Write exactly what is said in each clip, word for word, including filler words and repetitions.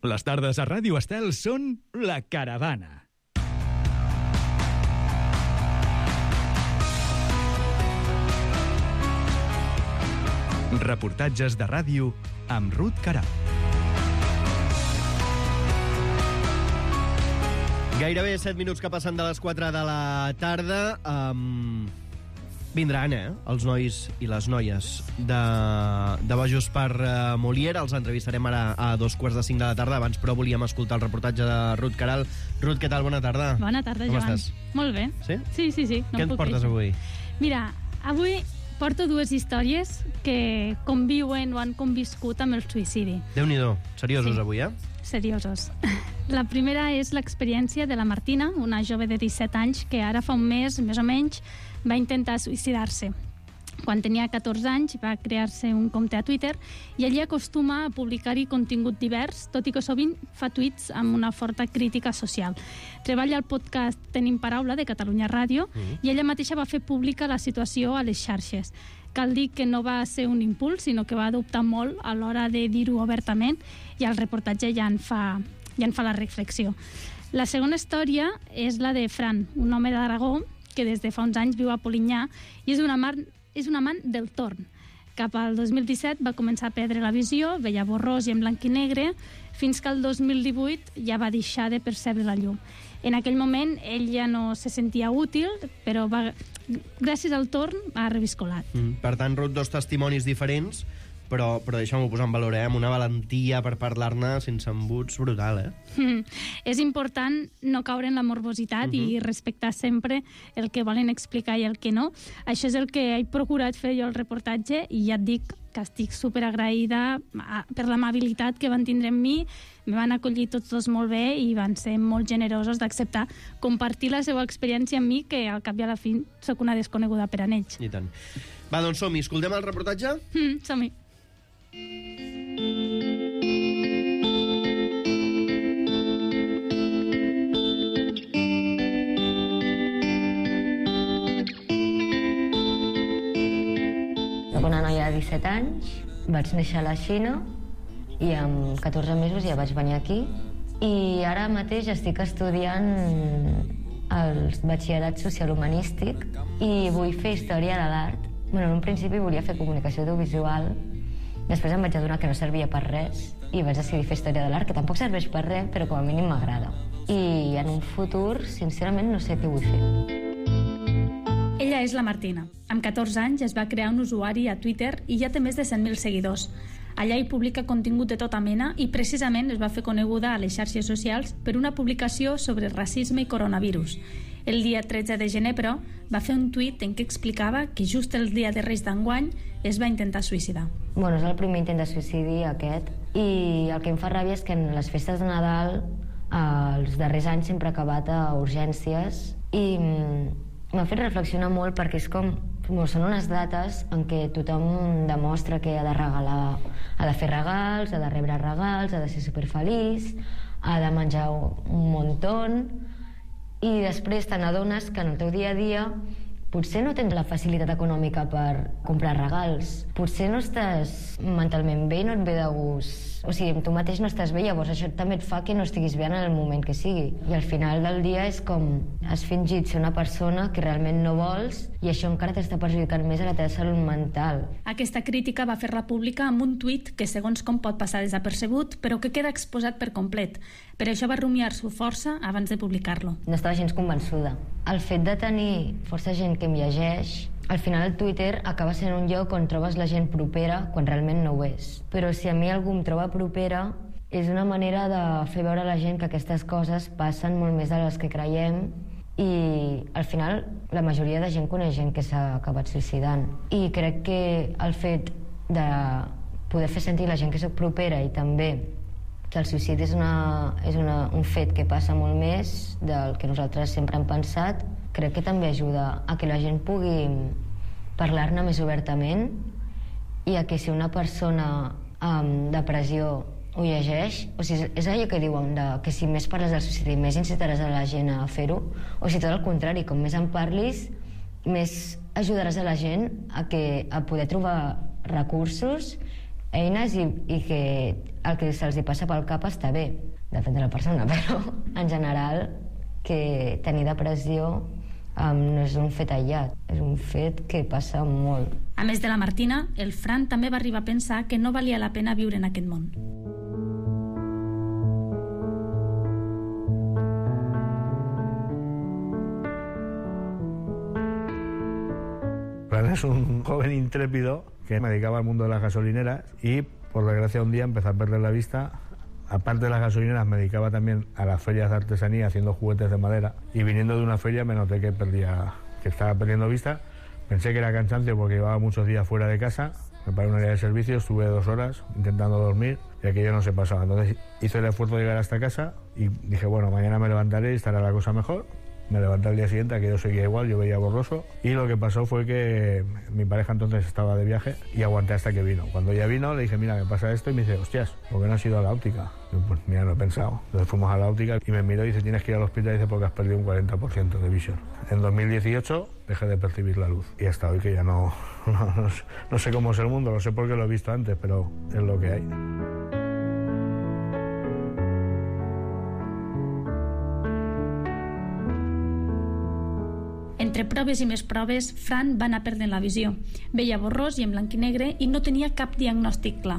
Les tardes a Ràdio Estel són La Caravana. Reportatges de ràdio amb Ruth Caral. Gairebé set minuts que passen de les quatre de la tarda. Um, vindran, eh, els nois i les noies de, de Bojos per uh, Molière. Els entrevistarem ara a dos quarts de cinc de la tarda. Abans, però, volíem escoltar el reportatge de Ruth Caral. Ruth, què tal? Bona tarda. Bona tarda, Com Joan. estàs? Molt bé. Sí? Sí, sí, sí. No què ens portes queixar. avui? Mira, avui porto dues històries que conviuen o han conviscut amb el suïcidi. Déu-n'hi-do. Seriosos, Sí. avui, eh? Seriosos. La primera és l'experiència de la Martina, una jove de disset anys que ara fa un mes, més o menys, va intentar suïcidar-se. Quan tenia catorze anys va crear-se un compte a Twitter i allí acostuma a publicar-hi contingut divers, tot i que sovint fa tuits amb una forta crítica social. Treballa al podcast Tenim Paraula de Catalunya Ràdio mm. i ella mateixa va fer pública la situació a les xarxes. Cal dir que no va ser un impuls, sinó que va adoptar molt a l'hora de dir-ho obertament i el reportatge ja en fa, ja en fa la reflexió. La segona història és la de Fran, un home d'Aragó que des de fa uns anys viu a Polinyà i és un amant, és un amant del torn. Cap al dos mil disset va començar a perdre la visió, veia borrós i en blanc i negre, fins que el dos mil divuit ja va deixar de percebre la llum. En aquell moment ell ja no se sentia útil, però va, gràcies al torn ha reviscolat. Mm. Per tant, Ruth, dos testimonis diferents, però, però deixa'm-ho posar en valor, eh? Amb una valentia per parlar-ne sense embuts brutal, eh? Mm. És important no caure en la morbositat uh-huh. i respectar sempre el que volen explicar i el que no. Això és el que he procurat fer jo al reportatge i ja et dic que estic superagraïda per l'amabilitat que van tindre amb mi. Me van acollir tots dos molt bé i van ser molt generosos d'acceptar compartir la seva experiència amb mi, que al cap i a la fi sóc una desconeguda per a ells. I tant. Va, doncs som-hi. Escoltem el reportatge? Mm, som-hi. Soc una noia de disset anys, vaig néixer a la Xina i amb catorze mesos ja vaig venir aquí i ara mateix estic estudiant el batxillerat social-humanístic i vull fer història de l'art. Bueno, en un principi volia fer comunicació audiovisual, després em vaig adonar que no servia per res i vaig decidir fer història de l'art, que tampoc serveix per res, però com a mínim m'agrada. I en un futur, sincerament, no sé què vull fer. Ella és la Martina. Amb catorze anys es va crear un usuari a Twitter i ja té més de cent mil seguidors. Allà hi publica contingut de tota mena i precisament es va fer coneguda a les xarxes socials per una publicació sobre racisme i coronavirus. El dia tretze de gener, però, va fer un tuit en què explicava que just el dia de Reis d'enguany es va intentar suïcidar. Bueno, és el primer intent de suïcidi aquest i el que em fa ràbia és que en les festes de Nadal eh, els darrers anys sempre he acabat a urgències i m'ha fet reflexionar molt perquè és com, bueno, són unes dates en què tothom demostra que ha de regalar, ha de fer regals, ha de rebre regals, ha de ser superfeliç, ha de menjar un muntón i després te n'adones que en el teu dia a dia potser no tens la facilitat econòmica per comprar regals, potser no estàs mentalment bé i no et ve de gust, o sigui, tu mateix no estàs bé, llavors això també et fa que no estiguis bé en el moment que sigui. I al final del dia és com has fingit ser una persona que realment no vols i això encara t'està perjudicant més a la teva salut mental. Aquesta crítica va fer-la pública amb un tuit que segons com pot passar desapercebut, però que queda exposat per complet. Per això va rumiar-s'ho força abans de publicar-lo. No estava gens convençuda. El fet de tenir força gent que em llegeix, al final el Twitter acaba sent un lloc on trobes la gent propera quan realment no ho és. Però si a mi algú em troba propera, és una manera de fer veure a la gent que aquestes coses passen molt més de les que creiem i al final la majoria de gent coneix gent que s'ha acabat suïcidant. I crec que el fet de poder fer sentir la gent que soc propera i també que el suïcidi és, una, és una, un fet que passa molt més del que nosaltres sempre hem pensat, crec que també ajuda a que la gent pugui parlar-ne més obertament i a que si una persona amb depressió ho llegeix, o sigui, és allò que diuen de, que si més parles del suïcidi més incitaràs a la gent a fer-ho, o si tot el contrari, com més en parlis més ajudaràs a la gent a, que, a poder trobar recursos eines i, i que el que se'ls hi passa pel cap està bé. Depèn de la persona, però en general que tenir depressió um, no és un fet aïllat, és un fet que passa molt. A més de la Martina, el Fran també va arribar a pensar que no valia la pena viure en aquest món. Fran es un joven intrépido que me dedicaba al mundo de las gasolineras y, por desgracia, un día empecé a perder la vista. Aparte de las gasolineras, me dedicaba también a las ferias de artesanía haciendo juguetes de madera, y viniendo de una feria me noté que perdía, que estaba perdiendo vista. Pensé que era cansancio porque llevaba muchos días fuera de casa. Me paré en un área de servicio, estuve dos horas intentando dormir y aquello no se pasaba. Entonces hice el esfuerzo de llegar hasta casa y dije, bueno, mañana me levantaré y estará la cosa mejor. Me levanté al día siguiente, aquello seguía igual, yo veía borroso, y lo que pasó fue que mi pareja entonces estaba de viaje y aguanté hasta que vino. Cuando ella vino le dije, mira, me pasa esto, y me dice, hostias, ¿por qué no has ido a la óptica? Y yo, pues mira, no he pensado. Entonces fuimos a la óptica y me miró y dice, tienes que ir al hospital, y dice, porque has perdido un cuarenta por ciento de visión. En dos mil dieciocho dejé de percibir la luz y hasta hoy que ya no, no, no, sé, no sé cómo es el mundo, lo sé porque lo he visto antes, pero es lo que hay. Entre proves i més proves, Fran va anar perdent la visió. Veia borrós i en blanc i negre i no tenia cap diagnòstic clar.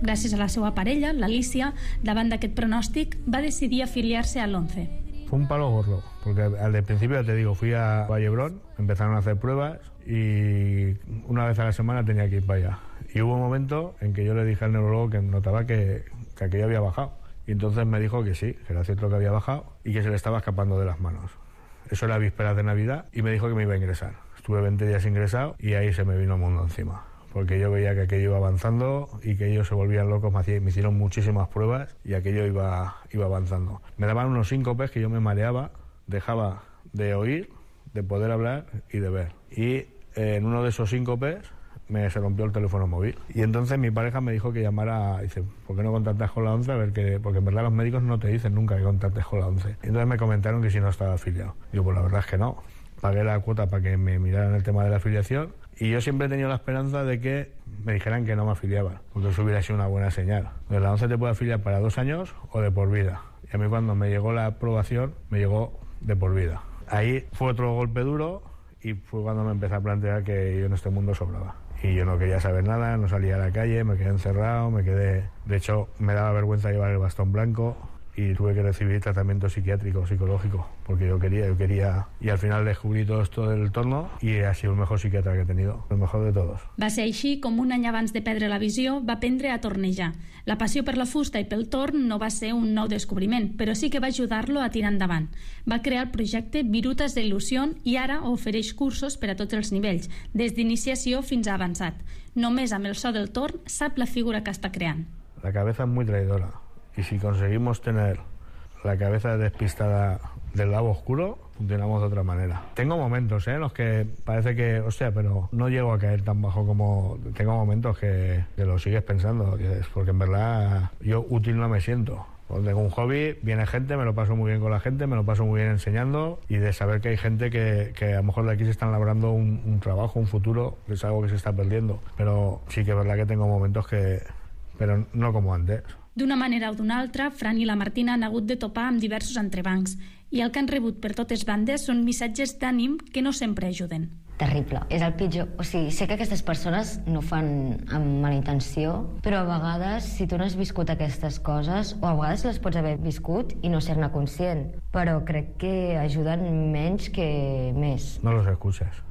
Gràcies a la seva parella, l'Alicia, davant d'aquest pronòstic, va decidir afiliar-se a l'ONCE. Fue un palo gordo, porque al principio, te digo, fui a Vallebrón, empezaron a hacer pruebas y una vez a la semana tenía que ir para allá. Y hubo un momento en que yo le dije al neurólogo que notaba que, que aquello había bajado. Y entonces me dijo que sí, que era cierto que había bajado y que se le estaba escapando de las manos. Eso era vísperas de Navidad y me dijo que me iba a ingresar. Estuve veinte días ingresado y ahí se me vino el mundo encima. Porque yo veía que aquello iba avanzando y que ellos se volvían locos, me, hacían, me hicieron muchísimas pruebas y aquello iba, iba avanzando. Me daban unos síncopes que yo me mareaba, dejaba de oír, de poder hablar y de ver. Y eh, en uno de esos síncopes me se rompió el teléfono móvil. Y entonces mi pareja me dijo que llamara, dice, ¿por qué no contactas con la ONCE? A ver que, porque en verdad los médicos no te dicen nunca que contactes con la ONCE. Y entonces me comentaron que si no estaba afiliado. Digo, pues la verdad es que no. Pagué la cuota para que me miraran el tema de la afiliación y yo siempre he tenido la esperanza de que me dijeran que no me afiliaban, porque eso hubiera sido una buena señal. Entonces la ONCE te puede afiliar para dos años o de por vida. Y a mí cuando me llegó la aprobación, me llegó de por vida. Ahí fue otro golpe duro y fue cuando me empecé a plantear que yo en este mundo sobraba. Y yo no quería saber nada, no salía a la calle, me quedé encerrado, me quedé... De hecho, me daba vergüenza llevar el bastón blanco y tuve que recibir tratamiento psiquiátrico, psicológico, porque yo quería, yo quería... Y al final descubrí todo esto del torno i ha sido el mejor psiquiatra que he tenido, el mejor de todos. Va ser així com un any abans de perdre la visió va aprendre a tornejar. La passió per la fusta i pel torn no va ser un nou descobriment, però sí que va ajudar-lo a tirar endavant. Va crear el projecte Virutas de Ilusión i ara ofereix cursos per a tots els nivells, des d'iniciació fins a avançat. Només amb el so del torn sap la figura que està creant. La cabeza es muy traidora. Y si conseguimos tener la cabeza despistada del lado oscuro, funcionamos de otra manera. Tengo momentos ¿eh? en los que parece que, hostia, pero no llego a caer tan bajo como... Tengo momentos que, que lo sigues pensando, porque en verdad yo útil no me siento. Cuando tengo un hobby, viene gente, me lo paso muy bien con la gente, me lo paso muy bien enseñando, y de saber que hay gente que, que a lo mejor de aquí se están labrando un, un trabajo, un futuro, que es algo que se está perdiendo. Pero sí que es verdad que tengo momentos que... Pero no como antes. D'una manera o d'una altra, Fran i la Martina han hagut de topar amb diversos entrebancs i el que han rebut per totes bandes són missatges d'ànim que no sempre ajuden. Terrible, és el pitjor. O sigui, sé que aquestes persones no fan amb mala intenció, però a vegades, si tu no has viscut aquestes coses, o a vegades les pots haver viscut i no ser-ne conscient, però crec que ajuden menys que més. No los escuchas.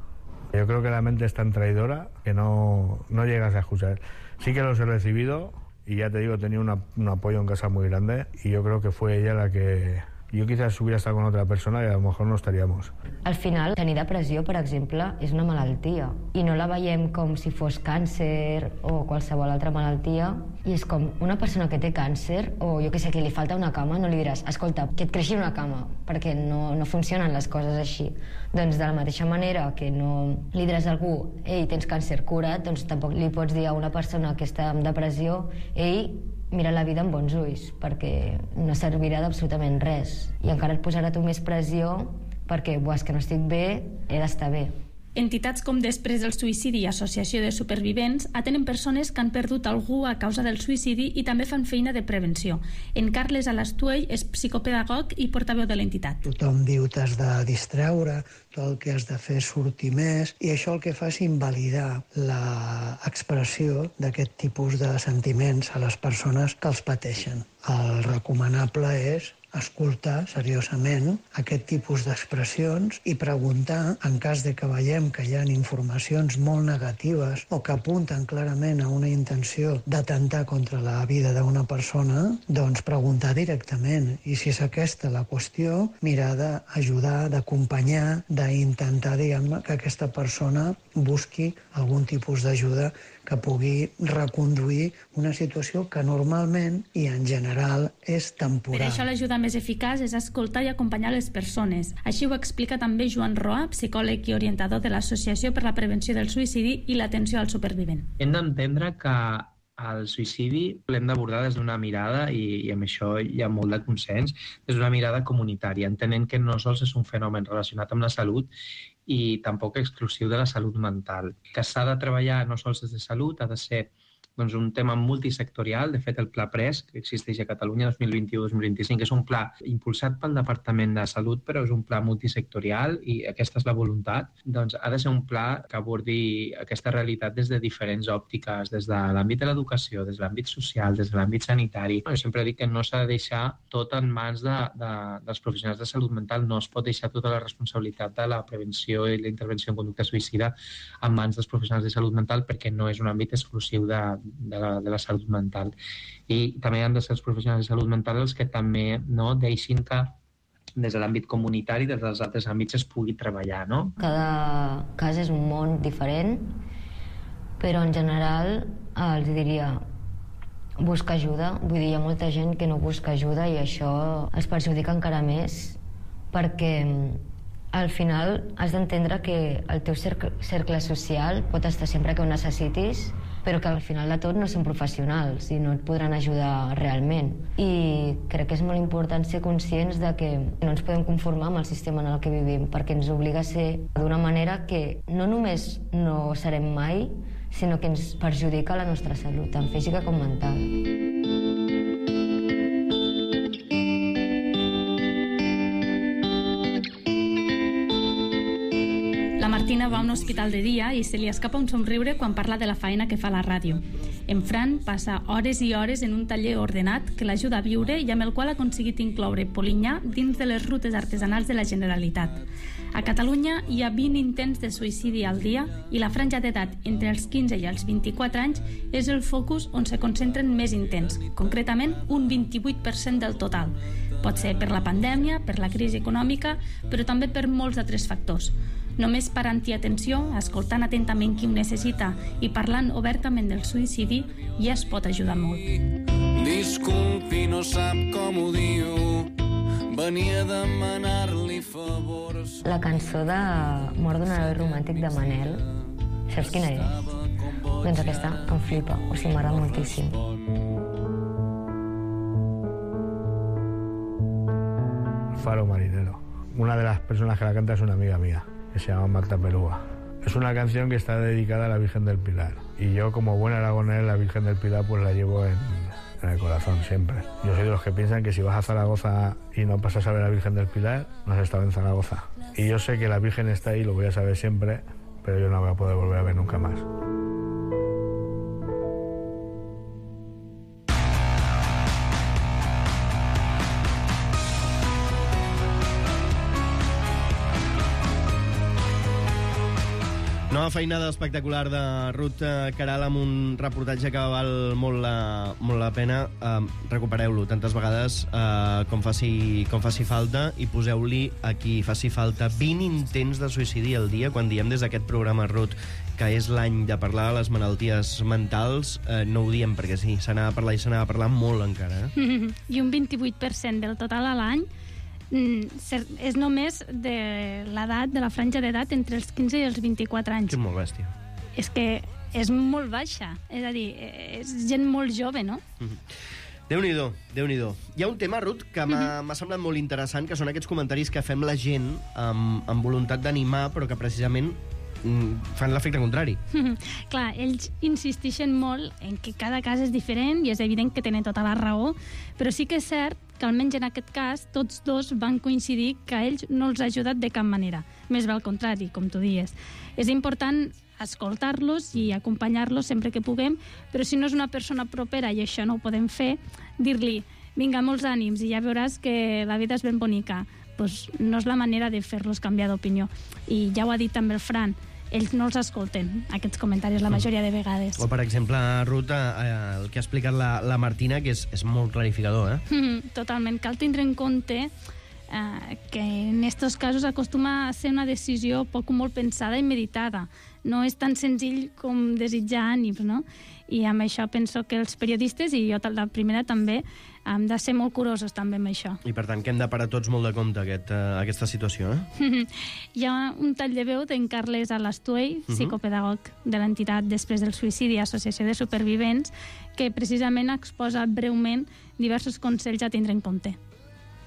Yo creo que la mente es tan traidora que no, no llegas a escuchar. Sí que los he recibido y ya te digo, tenía una, un apoyo en casa muy grande y yo creo que fue ella la que... Jo quizás hubiera estat con otra persona i a lo mejor no estaríamos. Al final, tenir depressió, per exemple, és una malaltia. I no la veiem com si fos càncer o qualsevol altra malaltia. I és com una persona que té càncer, o jo que sé, que li falta una cama, no li diràs, escolta, que et creixi una cama, perquè no, no funcionen les coses així. Doncs de la mateixa manera que no li diràs a algú, ei, tens càncer, cura't, doncs tampoc li pots dir a una persona que està en depressió, ei, mira la vida amb bons ulls, perquè no servirà d'absolutament res. I encara et posarà tu més pressió perquè, buah, és que no estic bé, he d'estar bé. Entitats com Després del Suïcidi i Associació de Supervivents atenen persones que han perdut algú a causa del suïcidi i també fan feina de prevenció. En Carles Alastuell és psicopedagog i portaveu de l'entitat. Tothom diu t'has de distreure, tot el que has de fer és sortir més, i això el que fa és invalidar l'expressió d'aquest tipus de sentiments a les persones que els pateixen. El recomanable és escoltar seriosament aquest tipus d'expressions i preguntar, en cas de que veiem que hi ha informacions molt negatives o que apunten clarament a una intenció d'atemptar contra la vida d'una persona, doncs preguntar directament. I si és aquesta la qüestió, mirar d'ajudar, d'acompanyar, d'intentar, diguem-ne, que aquesta persona busqui algun tipus d'ajuda que pugui reconduir una situació que normalment i en general és temporal. Per això l'ajuda més eficaç és escoltar i acompanyar les persones. Així ho explica també Joan Roa, psicòleg i orientador de l'Associació per la Prevenció del Suïcidi i l'Atenció al Supervivent. Hem d'entendre que el suïcidi l'hem d'abordar des d'una mirada, i, i amb això hi ha molt de consens, des d'una mirada comunitària, entenent que no sols és un fenomen relacionat amb la salut i tampoc exclusiu de la salut mental. Que s'ha de treballar no sols des de salut, ha de ser doncs, un tema multisectorial. De fet, el Pla Pres, que existeix a Catalunya dos mil vint-i-u dos mil vint-i-cinc, és un pla impulsat pel Departament de Salut, però és un pla multisectorial i aquesta és la voluntat. Doncs ha de ser un pla que abordi aquesta realitat des de diferents òptiques, des de l'àmbit de l'educació, des de l'àmbit social, des de l'àmbit sanitari. Jo sempre dic que no s'ha de deixar tot en mans de, de, dels professionals de salut mental, no es pot deixar tota la responsabilitat de la prevenció i la intervenció en conducta suïcida en mans dels professionals de salut mental, perquè no és un àmbit exclusiu de De la, de la salut mental. I també han de ser els professionals de salut mental els que també no, deixin que des de l'àmbit comunitari, des dels altres àmbits es pugui treballar, no? Cada cas és un món diferent, però en general els diria buscar ajuda. Vull dir, hi ha molta gent que no busca ajuda i això els perjudica encara més, perquè al final has d'entendre que el teu cercle, cercle social pot estar sempre que ho necessitis, però que al final de tot no són professionals i no et podran ajudar realment. I crec que és molt important ser conscients de que no ens podem conformar amb el sistema en el que vivim, perquè ens obliga a ser d'una manera que no només no serem mai, sinó que ens perjudica la nostra salut, tant física com mental. La Martina va a un hospital de dia i se li escapa un somriure quan parla de la feina que fa a la ràdio. En Fran passa hores i hores en un taller ordenat que l'ajuda a viure i amb el qual ha aconseguit incloure Polinyà dins de les rutes artesanals de la Generalitat. A Catalunya hi ha vint intents de suïcidi al dia i la franja d'edat entre els quinze i els vint-i-quatre anys és el focus on se concentren més intents, concretament un vint-i-vuit per cent del total. Pot ser per la pandèmia, per la crisi econòmica, però també per molts altres factors. Només parant i atenció, escoltant atentament qui ho necessita i parlant obertament del suïcidi, ja es pot ajudar molt. Disculpi, no sap com ho diu, venia a demanar-li favors. La cançó de Mort d'un heroi romàntic de Manel, saps quina és? Doncs aquesta em flipa, o sigui, m'agrada moltíssim. Faro marinero. Una de las personas que la canta es una amiga mía, que se llama Marta Perúa. Es una canción que está dedicada a la Virgen del Pilar. Y yo, como buen aragonés, la Virgen del Pilar pues la llevo en, en el corazón siempre. Yo soy de los que piensan que si vas a Zaragoza y no pasas a ver a la Virgen del Pilar, no has estado en Zaragoza. Y yo sé que la Virgen está ahí, lo voy a saber siempre, pero yo no voy a poder volver a ver nunca más. Nova feinada espectacular de Ruth Caral amb un reportatge que val molt la, molt la pena. Uh, recupereu-lo tantes vegades uh, com, faci, com faci falta i poseu-li aquí faci falta vint intents de suïcidi al dia. Quan diem des d'aquest programa, Ruth, que és l'any de parlar de les malalties mentals, uh, no ho diem perquè sí, se n'ha de parlar i se n'ha de parlar molt encara. Eh? I un vint-i-vuit per cent del total a l'any és només de l'edat, de la franja d'edat entre els quinze i els vint-i-quatre anys. És molt bèstia. És que és molt baixa, és a dir, és gent molt jove, no? Mm-hmm. Déu-n'hi-do, Déu-n'hi-do. Hi ha un tema, Ruth, que m'ha mm-hmm. semblat molt interessant, que són aquests comentaris que fem la gent amb, amb voluntat d'animar, però que precisament fan l'efecte contrari. Clar, ells insisteixen molt en que cada cas és diferent i és evident que tenen tota la raó, però sí que és cert que almenys en aquest cas tots dos van coincidir que a ells no els ha ajudat de cap manera. Més bé al contrari, com tu dies. És important escoltar-los i acompanyar-los sempre que puguem, però si no és una persona propera i això no ho podem fer, dir-li, vinga, molts ànims i ja veuràs que la vida és ben bonica. Pues no és la manera de fer-los canviar d'opinió. I ja ho ha dit també el Fran, ells no els escolten, aquests comentaris, la majoria de vegades. O, per exemple, Ruth, eh, el que ha explicat la, la Martina, que és, és molt clarificador, eh? Mm, totalment. Cal tindre en compte eh, que en aquests casos acostuma a ser una decisió poc o molt pensada i meditada. No és tan senzill com desitjar ànims, no? I amb això penso que els periodistes, i jo la primera també, hem de ser molt curosos també amb això. I per tant que hem de parar tots molt de compte aquest, uh, aquesta situació, eh? Hi ha un tall de veu d'en Carles Alastuey, uh-huh. psicopedagog de l'entitat Després del suïcidi, Associació de Supervivents, que precisament exposa breument diversos consells a tindre en compte.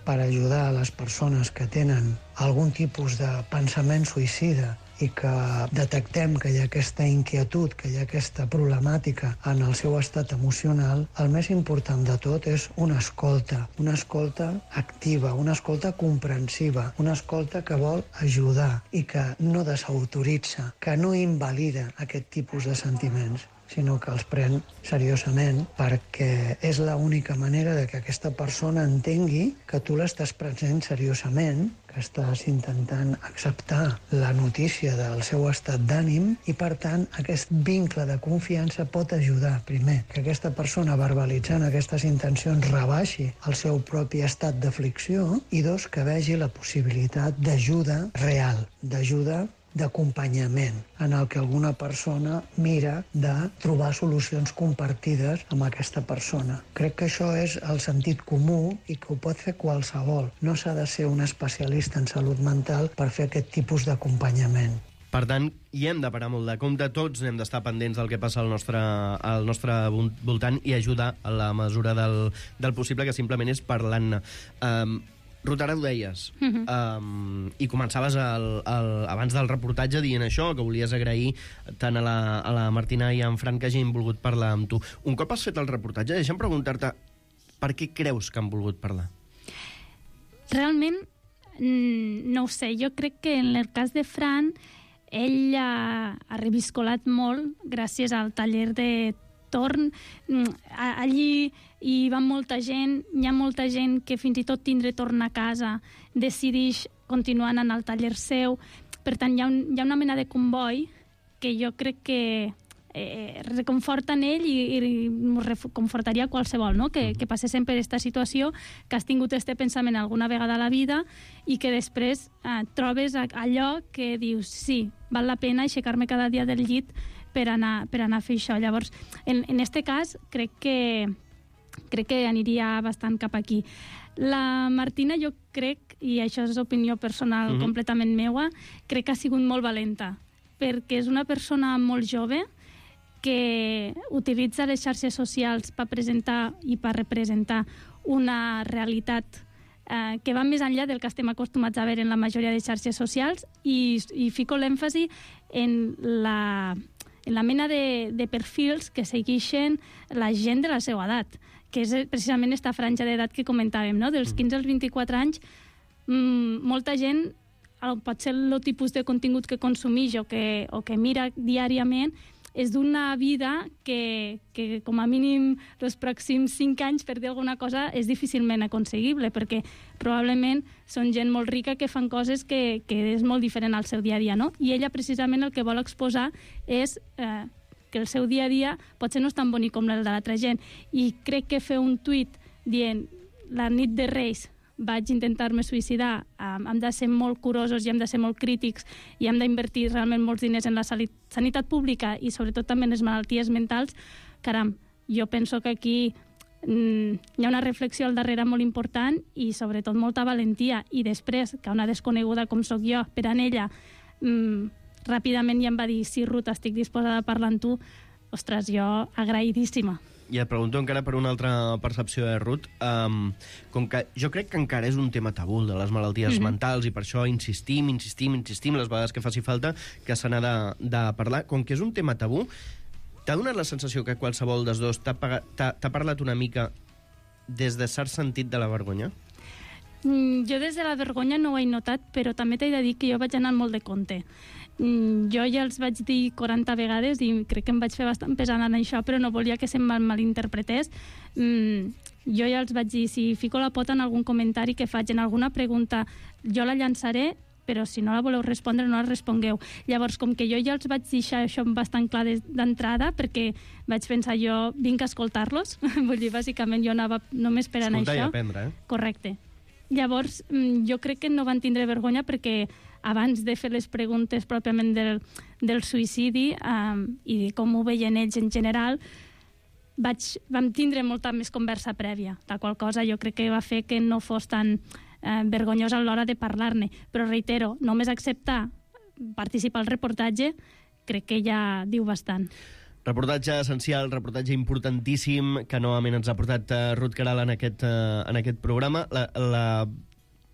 Per ajudar a les persones que tenen algun tipus de pensament suïcida i que detectem que hi ha aquesta inquietud, que hi ha aquesta problemàtica en el seu estat emocional, el més important de tot és una escolta, una escolta activa, una escolta comprensiva, una escolta que vol ajudar i que no desautoritza, que no invalida aquest tipus de sentiments, sinó que els pren seriosament, perquè és l'única manera de que aquesta persona entengui que tu l'estàs prenent seriosament, que estàs intentant acceptar la notícia del seu estat d'ànim i, per tant, aquest vincle de confiança pot ajudar, primer, que aquesta persona verbalitzant aquestes intencions rebaixi el seu propi estat d'aflicció i, dos, que vegi la possibilitat d'ajuda real, d'ajuda d'acompanyament, en el que alguna persona mira de trobar solucions compartides amb aquesta persona. Crec que això és el sentit comú i que ho pot fer qualsevol. No s'ha de ser un especialista en salut mental per fer aquest tipus d'acompanyament. Per tant, hi hem de parar molt de compte, tots hem d'estar pendents del que passa al nostre, al nostre voltant i ajudar a la mesura del, del possible, que simplement és parlant-ne. Um, Ruth, ara ho deies, uh-huh. um, i començaves el, el, abans del reportatge dient això, que volies agrair tant a la, a la Martina i a en Fran que hagin volgut parlar amb tu. Un cop has fet el reportatge, deixa'm preguntar-te per què creus que han volgut parlar? Realment, no ho sé. Jo crec que en el cas de Fran, ell ha, ha reviscolat molt gràcies al taller de torn. Allí hi va molta gent, hi ha molta gent que fins i tot tindre torn a casa decideix continuar anant al taller seu. Per tant, hi ha, un, hi ha una mena de comboi que jo crec que eh, reconforta en ell i, i reconfortaria qualsevol, no? Que, que passéssim per aquesta situació, que has tingut este pensament alguna vegada a la vida i que després eh, trobes allò que dius, sí, val la pena aixecar-me cada dia del llit per anar, per anar a fer això. Llavors, en, en este cas, crec que crec que aniria bastant cap aquí. La Martina, jo crec, i això és opinió personal uh-huh. completament meua, crec que ha sigut molt valenta, perquè és una persona molt jove que utilitza les xarxes socials per presentar i per representar una realitat eh, que va més enllà del que estem acostumats a veure en la majoria de xarxes socials i, i fico l'èmfasi en la, en la mena de, de perfils que segueixen la gent de la seva edat, que és precisament aquesta franja d'edat que comentàvem, no? Dels quinze als vint-i-quatre anys, mmm, molta gent, pot ser el tipus de contingut que consumeix o que, o que mira diàriament, és d'una vida que, que com a mínim els pròxims cinc anys, per dir alguna cosa, és difícilment aconseguible, perquè probablement són gent molt rica que fan coses que, que és molt diferent al seu dia a dia, no? I ella precisament el que vol exposar és eh, que el seu dia a dia potser no és tan bonic com el de l'altra gent. I crec que fer un tuit dient la nit de Reis vaig intentar-me suïcidar, um, hem de ser molt curosos i hem de ser molt crítics i hem d'invertir realment molts diners en la sanitat pública i sobretot també en les malalties mentals, caram, jo penso que aquí mm, hi ha una reflexió al darrere molt important i sobretot molta valentia. I després, que una desconeguda com sóc jo, per en ella, mm, ràpidament ja em va dir, sí, Ruth, estic disposada a parlar amb tu. Ostres, jo agraïdíssima. i et pregunto encara per una altra percepció, eh, Ruth. Um, com que jo crec que encara és un tema tabú de les malalties mm-hmm. mentals, i per això insistim, insistim, insistim, les vegades que faci falta, que se n'ha de, de parlar. Com que és un tema tabú, t'ha donat la sensació que qualsevol dels dos t'ha, t'ha, t'ha parlat una mica des de cert sentit de la vergonya? Mm, jo des de la vergonya no ho he notat, però també t'he de dir que jo vaig anar molt de compte. Mm, jo ja els vaig dir quaranta vegades i crec que em vaig fer bastant pesant en això, però no volia que se'm mal malinterpretés. Mm, jo ja els vaig dir, si fico la pota en algun comentari que faig, en alguna pregunta, jo la llançaré, però si no la voleu respondre, no la respongueu. Llavors, com que jo ja els vaig deixar això bastant clar d'entrada, perquè vaig pensar, jo vinc a escoltar-los, vull dir, bàsicament jo anava només per anar això. Escoltar i aprendre, eh? Correcte. Llavors, jo crec que no van tindre vergonya perquè abans de fer les preguntes pròpiament del, del suïcidi um, i de com ho veien ells en general, vaig, vam tindre molta més conversa prèvia, la qual cosa jo crec que va fer que no fos tan eh, vergonyós a l'hora de parlar-ne. Però reitero, només acceptar participar al reportatge crec que ja diu bastant. Reportatge essencial, reportatge importantíssim, que novament ens ha portat uh, Ruth Queralt en aquest, uh, en aquest programa. La, la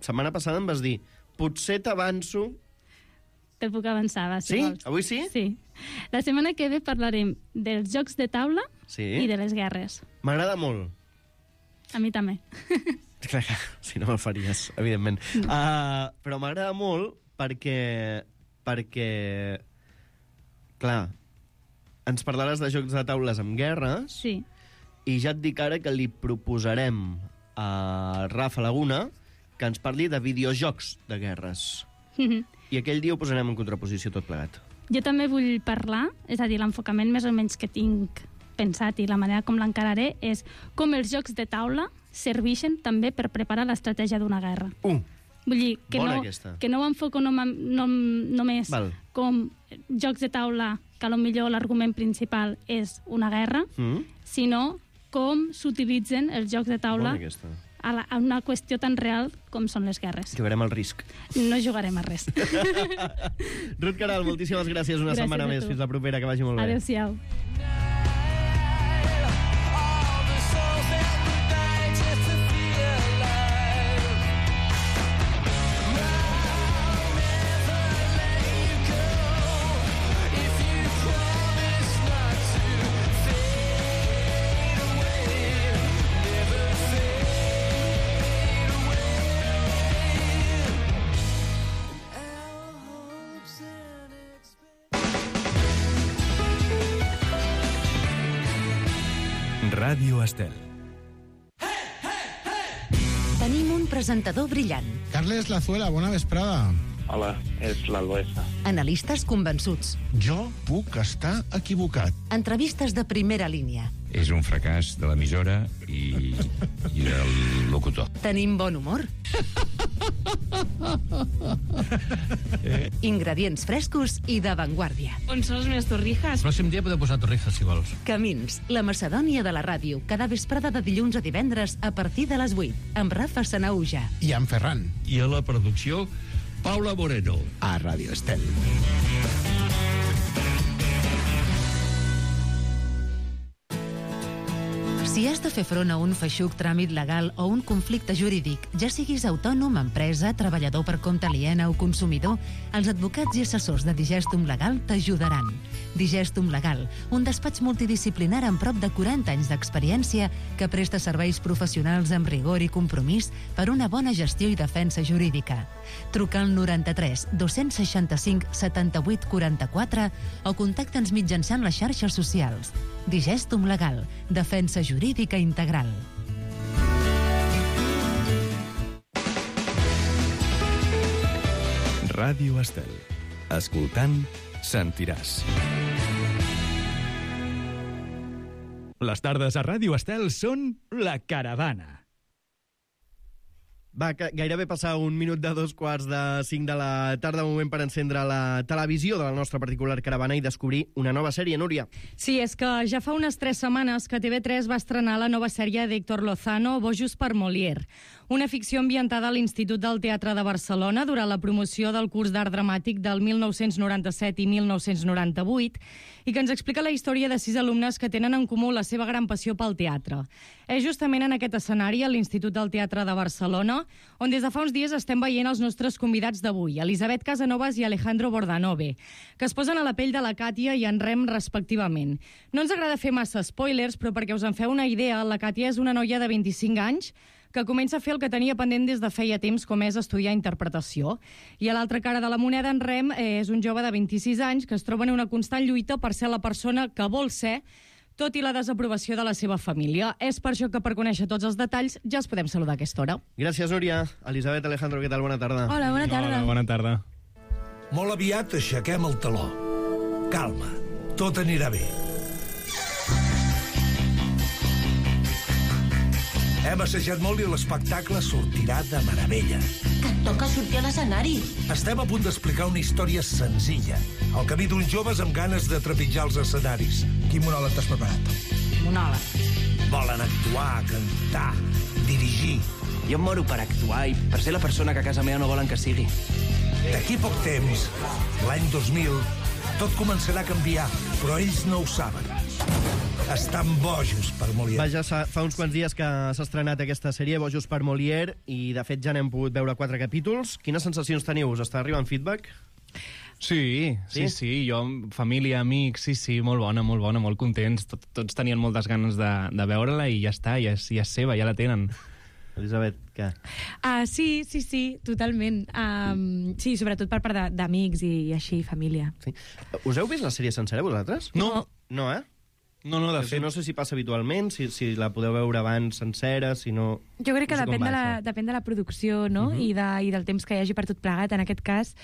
setmana passada em vas dir, potser t'avanço... Te'l puc avançar, va, si sí? vols. Avui sí? Sí. La setmana que ve parlarem dels jocs de taula sí? i de les guerres. M'agrada molt. A mi també. Clar, si no me'l faries, evidentment. Mm. Uh, però m'agrada molt perquè... perquè... Clar, ens parlaràs de jocs de taules amb guerres sí. i ja et dic ara que li proposarem a Rafa Laguna que ens parli de videojocs de guerres. Mm-hmm. I aquell dia ho posarem en contraposició tot plegat. Jo també vull parlar, és a dir, l'enfocament més o menys que tinc pensat i la manera com l'encararé és com els jocs de taula serveixen també per preparar l'estratègia d'una guerra. Uh, Vull dir, que bona no, aquesta. que no ho enfoco no, no, només Val. com jocs de taula que potser l'argument principal és una guerra, mm. sinó com s'utilitzen els jocs de taula a, la, a una qüestió tan real com són les guerres. Jugarem al risc. No jugarem a res. Ruth Queralt, moltíssimes gràcies. Una gràcies setmana més. Fins la propera, que vagi molt bé. Adéu-siau. Ràdio Estel. Tenim un presentador brillant. Carles Lazuela, bona vesprada. Hola, és l'Alboesa. Analistes convençuts. Jo puc estar equivocat. Entrevistes de primera línia. És un fracàs de l'emissora i, i del locutor. Tenim bon humor. Ingredients frescos i d'avantguàrdia. On són les meves torrijas? El pròxim dia podeu posar torrijas, si vols. Camins, la Macedònia de la ràdio, cada vesprada de dilluns a divendres a partir de les vuit, amb Rafa Sanauja. I amb Ferran. I a la producció, Paula Moreno. A Ràdio Estel. Si has de fer front a un feixuc tràmit legal o un conflicte jurídic, ja siguis autònom, empresa, treballador per compte aliena o consumidor, els advocats i assessors de Digestum Legal t'ajudaran. Digestum Legal, un despatx multidisciplinar amb prop de quaranta anys d'experiència que presta serveis professionals amb rigor i compromís per una bona gestió i defensa jurídica. Truca al noranta-tres dos-cents seixanta-cinc setanta-vuit quaranta-quatre o contacta'ns mitjançant les xarxes socials. Digestum Legal, defensa jurídica integral. Ràdio Estel. Escoltant, sentiràs. Les tardes a Ràdio Estel són La Caravana. Va gairebé passar un minut de dos quarts de cinc de la tarda, moment per encendre la televisió de la nostra particular caravana i descobrir una nova sèrie, Núria. Sí, és que ja fa unes tres setmanes que T V tres va estrenar la nova sèrie d'Héctor Lozano, Bojos per Molière. una ficció ambientada a l'Institut del Teatre de Barcelona durant la promoció del curs d'art dramàtic del mil nou-cents noranta-set i mil nou-cents noranta-vuit i que ens explica la història de sis alumnes que tenen en comú la seva gran passió pel teatre. És justament en aquest escenari, a l'Institut del Teatre de Barcelona, on des de fa uns dies estem veient els nostres convidats d'avui, Elisabet Casanovas i Alejandro Bordanove, que es posen a la pell de la Càtia i en Rem respectivament. No ens agrada fer massa spoilers, però perquè us en feu una idea, la Càtia és una noia de vint-i-cinc anys que comença a fer el que tenia pendent des de feia temps, com és estudiar interpretació. I a l'altra cara de la moneda, en Rem eh, és un jove de vint-i-sis anys que es troba en una constant lluita per ser la persona que vol ser, tot i la desaprovació de la seva família. És per això que, per conèixer tots els detalls, ja els podem saludar a aquesta hora. Gràcies, Núria. Elisabet, Alejandro, què tal? Bona tarda. Hola, bona tarda. Hola, bona tarda. Molt aviat aixequem el taló. Calma, tot anirà bé. Hem assajat molt i l'espectacle sortirà de meravella. Que et toca sortir a l'escenari. Estem a punt d'explicar una història senzilla. El camí d'uns joves amb ganes de trepitjar els escenaris. Quin monòleg t'has preparat? Monòleg. Volen actuar, cantar, dirigir. Jo em moro per actuar i per ser la persona que a casa meva no volen que sigui. D'aquí poc temps, l'any dos mil, tot començarà a canviar, però ells no ho saben. Estan bojos per Molière. Vaja, fa uns quants dies que s'ha estrenat aquesta sèrie, Bojos per Molière, i de fet ja n'hem pogut veure quatre capítols. Quines sensacions teniu? Us està arribant feedback? Sí, sí, sí, sí. Jo, família, amics, sí, sí, molt bona, molt bona, molt contents. Tot, tots tenien moltes ganes de, de veure-la i ja està, ja és, ja és seva, ja la tenen. Elisabet, què? Uh, sí, sí, sí, totalment. Um, sí, sobretot per part d'amics i, i així, família. Sí. Us heu vist la sèrie sencera, vosaltres? No. No, eh? No, no, de fet... No sé si passa habitualment, si, si la podeu veure abans sencera, si no... Jo crec que no sé depèn, va, de la, depèn de la producció, no? Uh -huh. I, de, I del temps que hi hagi per tot plegat. En aquest cas,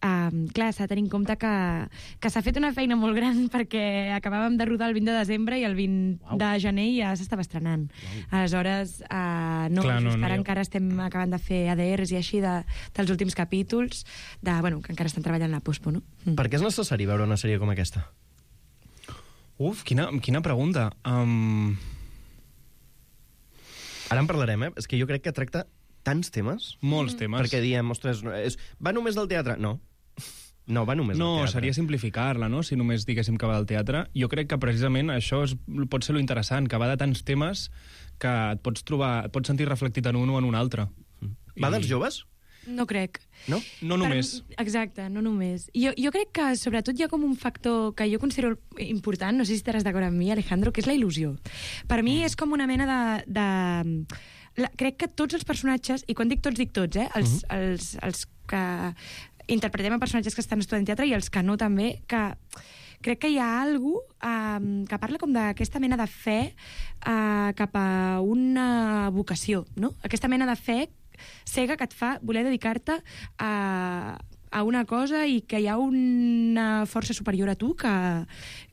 um, clar, s'ha de tenir en compte que, que s'ha fet una feina molt gran perquè acabàvem de rodar el vint de desembre i el vint wow. de gener ja s'estava estrenant. Wow. Aleshores, uh, no, clar, no, no, ara jo... encara estem acabant de fer A D Rs i així de, dels últims capítols, de, bueno, que encara estan treballant la pospo, no? Mm. Per què és necessari veure una sèrie com aquesta? Uf, quina, quina pregunta. Um... Ara en parlarem, eh? És que jo crec que tracta tants temes. Molts temes. Perquè diem, ostres, és... va només del teatre? No. No, va només no, del teatre. No, seria simplificar-la, no?, si només diguéssim que va del teatre. Jo crec que precisament això és, pot ser lo interessant, que va de tants temes que et pots trobar, et pots sentir reflectit en un o en un altre. Mm. Va I... dels joves? No crec. No? No només. Per, exacte, no només. Jo, jo crec que sobretot hi ha com un factor que jo considero important, no sé si estaràs d'acord amb mi, Alejandro, que és la il·lusió. Per mi és com una mena de... de... La, crec que tots els personatges, i quan dic tots, dic tots, eh? Els, uh -huh. els, els que interpretem a personatges que estan estudiant teatre i els que no també, que crec que hi ha algú um, que parla com d'aquesta mena de fe uh, cap a una vocació, no? Aquesta mena de fe cega que et fa voler dedicar-te a, a una cosa i que hi ha una força superior a tu que,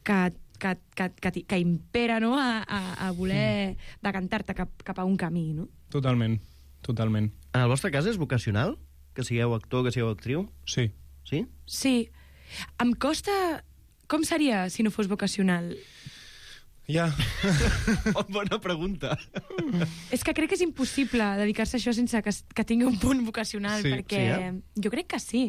que, que, que, que, que impera, no?, a, a, a voler mm. decantar-te cap, cap a un camí, no? Totalment, totalment. En el vostre cas és vocacional? Que sigueu actor, que sigueu actriu? Sí. Sí? Sí. Em costa... Com seria si no fos vocacional? Ja. Bona pregunta. És que crec que és impossible dedicar-se a això sense que, que tingui un punt vocacional, sí, perquè sí, eh? jo crec que sí.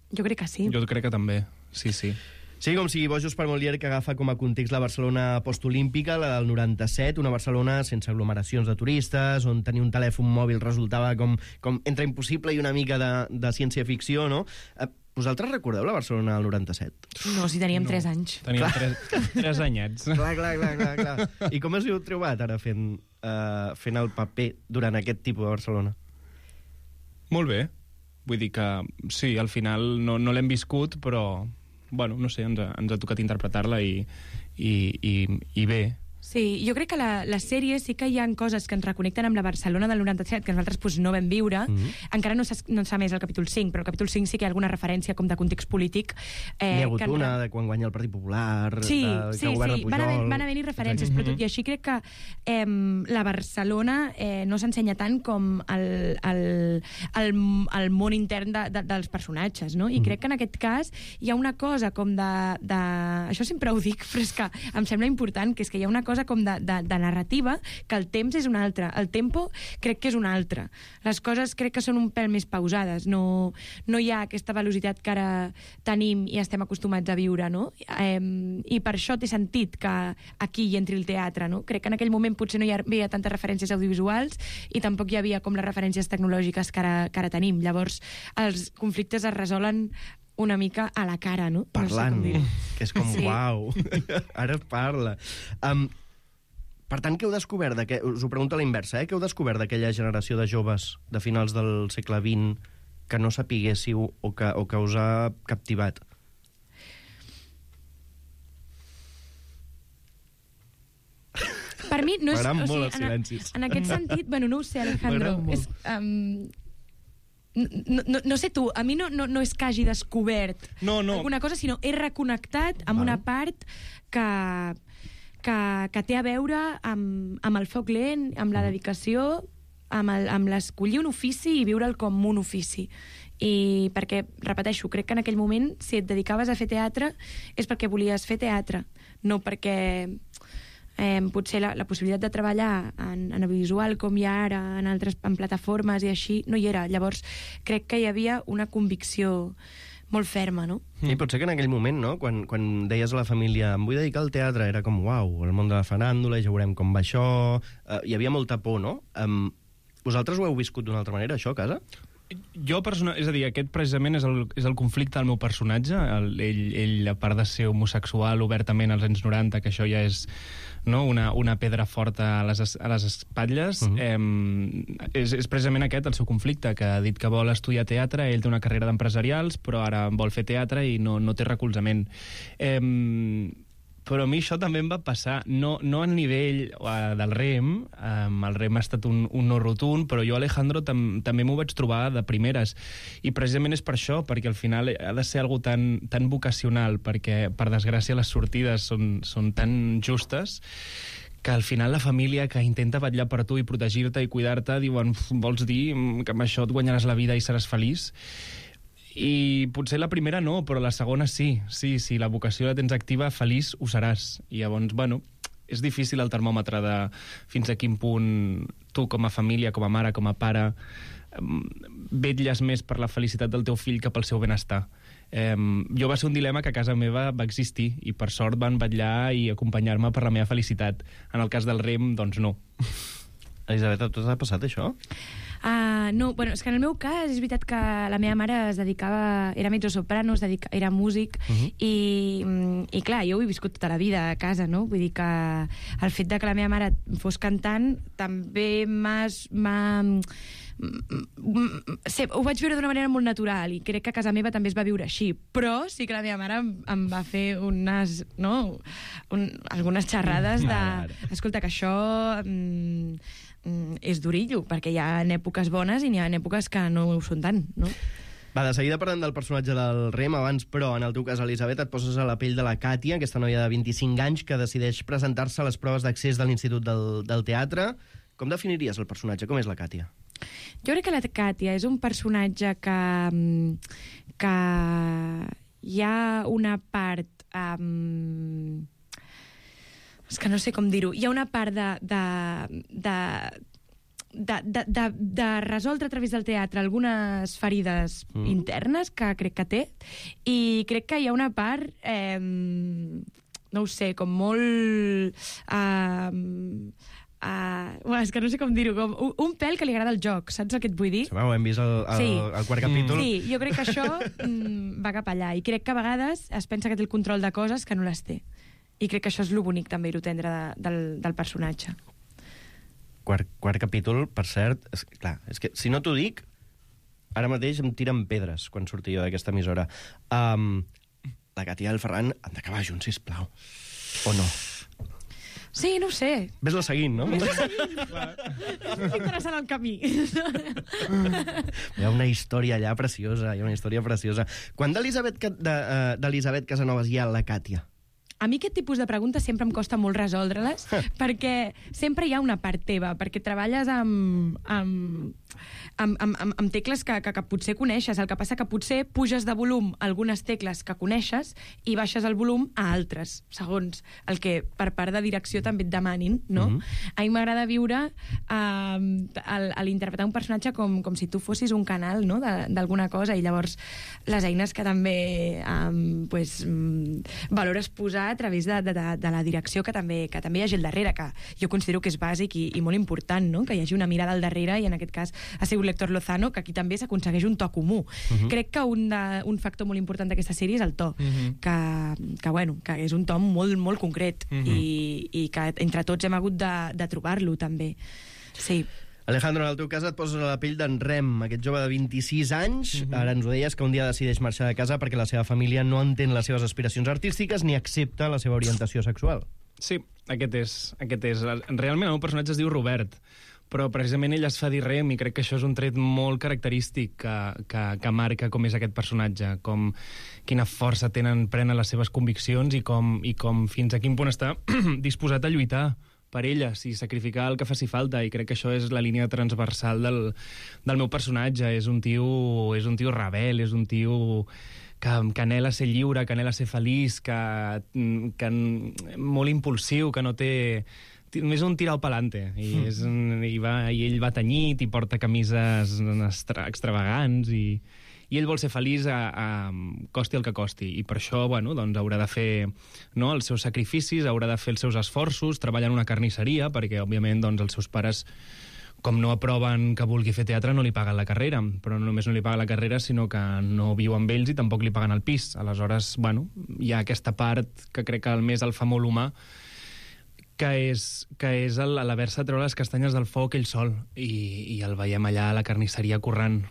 Jo crec que sí. Jo crec que també, sí, sí. Sí, com sigui Bojos per Molière, que agafa com a context la Barcelona postolímpica, la del noranta-set, una Barcelona sense aglomeracions de turistes, on tenir un telèfon mòbil resultava com, com entre impossible i una mica de, de ciència-ficció, no? Vosaltres recordeu la Barcelona del noranta-set? No, si teníem no. tres anys. Teníem tres, tres anyets. Clar, clar, clar, clar, clar. I com us heu trobat ara fent, uh, fent el paper durant aquest tipus de Barcelona? Molt bé. Vull dir que, sí, al final no, no l'hem viscut, però, bueno, no sé, ens ha, ens ha tocat interpretar-la i, i, i, i bé. Sí, jo crec que la, la sèrie sí que hi ha coses que ens reconnecten amb la Barcelona del noranta-set que nosaltres pues, no vam viure. Mm-hmm. Encara no s'ha no més el capítol cinc, però el capítol cinc sí que hi ha alguna referència com de context polític. Eh, N'hi ha hagut una en... de quan guanya el Partit Popular, sí, de, sí, que governa sí. Pujol... Van haver, van haver-hi referències, mm-hmm. però tot i així crec que eh, la Barcelona eh, no s'ensenya tant com el, el, el, el món intern de, de, dels personatges, no? I mm-hmm. crec que en aquest cas hi ha una cosa com de, de... Això sempre ho dic, però és que em sembla important, que és que hi ha una cosa cosa com de, de, de narrativa, que el temps és un altre, el tempo crec que és un altre. Les coses crec que són un pèl més pausades, no, no hi ha aquesta velocitat que ara tenim i estem acostumats a viure, no? Eh, I per això té sentit que aquí hi entri el teatre, no? Crec que en aquell moment potser no hi havia tantes referències audiovisuals i tampoc hi havia com les referències tecnològiques que ara, que ara tenim. Llavors, els conflictes es resolen una mica a la cara, no? Parlant, no sé com que és com, sí. Uau, ara parla. Um, per tant, què heu descobert? De que, us ho pregunto a la inversa, eh? Què heu descobert d'aquella generació de joves de finals del segle vint que no sapiguéssiu o que, o que us ha captivat? Per mi no és... M'agraden o sigui, molt els silencis. En, en aquest sentit, bueno, no ho sé, Alejandro. És, um, no, no, no sé tu, a mi no, no, no és que hagi descobert no, no. alguna cosa, sinó he reconnectat amb Val. una part que, que, que té a veure amb, amb el foc lent, amb la dedicació, amb, el, amb l'escollir un ofici i viure'l com un ofici. I perquè, repeteixo, crec que en aquell moment, si et dedicaves a fer teatre, és perquè volies fer teatre, no perquè... Eh, potser la, la possibilitat de treballar en, en audiovisual com hi ha ara, en altres en plataformes i així, no hi era. Llavors, crec que hi havia una convicció molt ferma, no? I potser que en aquell moment, no?, quan, quan deies a la família em vull dedicar al teatre, era com, uau, el món de la faràndula, ja veurem com va això... Uh, hi havia molta por, no? Um, vosaltres ho heu viscut d'una altra manera, això, a casa? Jo, persona... és a dir, aquest precisament és el, és el conflicte del meu personatge. El, ell, ell, a part de ser homosexual obertament als anys noranta, que això ja és, no, una, una pedra forta a les, a les espatlles, uh-huh. eh, és, és precisament aquest el seu conflicte, que ha dit que vol estudiar teatre, ell té una carrera d'empresarials, però ara vol fer teatre i no, no té recolzament. Eh, però a mi això també em va passar, no, no a nivell uh, del rem, um, el rem ha estat un, un no rotund, però jo, Alejandro, tam, també m'ho vaig trobar de primeres, i precisament és per això, perquè al final ha de ser algo tan, tan vocacional, perquè, per desgràcia, les sortides són, són tan justes, que al final la família que intenta vetllar per tu i protegir-te i cuidar-te diuen, vols dir que amb això et guanyaràs la vida i seràs feliç? I potser la primera no, però la segona sí. Sí, sí, la vocació la tens activa, feliç ho seràs. I llavors, bueno, és difícil el termòmetre de fins a quin punt tu com a família, com a mare, com a pare, vetlles més per la felicitat del teu fill que pel seu benestar. Eh, jo va ser un dilema que a casa meva va existir i per sort van vetllar i acompanyar-me per la meva felicitat. En el cas del rem, doncs no. Elisabet, a tu t'ha passat això? Uh, no, bueno, és que en el meu cas és veritat que la meva mare es dedicava, era mezzosoprano, es dedica, era músic, uh-huh. i, i clar, jo ho he viscut tota la vida a casa, no? Vull dir que el fet de que la meva mare fos cantant també m'ha... Sí, ho vaig viure d'una manera molt natural i crec que a casa meva també es va viure així, però sí que la meva mare em, em va fer unes, no, un, algunes xerrades de... Escolta, que això... Mm, és durillo, perquè hi ha èpoques bones i n'hi ha èpoques que no ho són tant, no? Va, de seguida parlant del personatge del Rem, abans, però, en el teu cas, Elisabet, et poses a la pell de la Càtia, aquesta noia de vint-i-cinc anys que decideix presentar-se a les proves d'accés de l'Institut del, del Teatre. Com definiries el personatge? Com és la Càtia? Jo crec que la Càtia és un personatge que, que hi ha una part... Um, és que no sé com dir-ho. Hi ha una part de, de, de, de, de, de, de resoldre a través del teatre algunes ferides mm. internes que crec que té, i crec que hi ha una part, eh, no ho sé, com molt... Uh, uh, bueno, és que no sé com dir-ho, com un, un pèl que li agrada el joc, saps el que et vull dir? Sí, ho hem vist al, al, sí. al quart capítol. Sí, jo crec que això mm, va cap allà, i crec que a vegades es pensa que té el control de coses que no les té. I crec que això és lo bonic també i lo tendre de, del, del personatge. Quart, quart capítol, per cert, és, clar, és que si no t'ho dic, ara mateix em tiren pedres quan surti jo d'aquesta emissora. Um, la Càtia i el Ferran han d'acabar junts, sisplau. O no? Sí, no ho sé. Ves-la seguint, no? Ves-la seguint. Estic interessant el camí. Hi ha una història allà preciosa, hi ha una història preciosa. Quan d'Elisabet de, uh, d'Elisabet Casanovas hi ha la Càtia? a mi aquest tipus de preguntes sempre em costa molt resoldre-les, perquè sempre hi ha una part teva, perquè treballes amb, amb, amb, amb, amb, amb tecles que, que, que potser coneixes. El que passa que potser puges de volum algunes tecles que coneixes i baixes el volum a altres, segons el que per part de direcció també et demanin, no? Mm-hmm. A mi m'agrada viure eh, a l'interpretar un personatge com, com si tu fossis un canal, no?, d'alguna cosa, i llavors les eines que també eh, pues, valores posar a través de, de, de la direcció, que també, que també hi hagi al darrere, que jo considero que és bàsic i, i molt important, no?, que hi hagi una mirada al darrere, i en aquest cas ha sigut l'Héctor Lozano, que aquí també s'aconsegueix un to comú. Uh-huh. Crec que un, de, un factor molt important d'aquesta sèrie és el to, uh-huh. que, que, bueno, que és un to molt, molt concret, uh-huh. i, i que entre tots hem hagut de, de trobar-lo, també. Sí. Alejandro, en el teu cas et poses a la pell d'en Rem, aquest jove de vint-i-sis anys. Uh-huh. Ara ens ho deies, que un dia decideix marxar de casa perquè la seva família no entén les seves aspiracions artístiques ni accepta la seva orientació sexual. Sí, aquest és. Aquest és. Realment el meu personatge es diu Robert, però precisament ell es fa dir Rem, i crec que això és un tret molt característic que, que, que marca com és aquest personatge, com quina força tenen, prenen les seves conviccions, i com, i com fins a quin punt està disposat a lluitar per elles i sacrificar el que faci falta, i crec que això és la línia transversal del, del meu personatge. És un tio, és un tio rebel, és un tio que, que anhela ser lliure, que anhela ser feliç, que, que molt impulsiu, que no té... Només un tirau pelante, i, és, i, va, i ell va tenyit i porta camises extra, extravagants, i... i ell vol ser feliç a, a costi el que costi, i per això, bueno, doncs haurà de fer, no, els seus sacrificis, haurà de fer els seus esforços, treballar en una carnisseria, perquè, òbviament, doncs, els seus pares, com no aproven que vulgui fer teatre, no li paguen la carrera, però no només no li paguen la carrera, sinó que no viu amb ells i tampoc li paguen el pis. Aleshores, bueno, hi ha aquesta part que crec que el més el fa molt humà, que és, que és l'haver-se de treure les castanyes del foc ell sol, i, i el veiem allà a la carnisseria currant.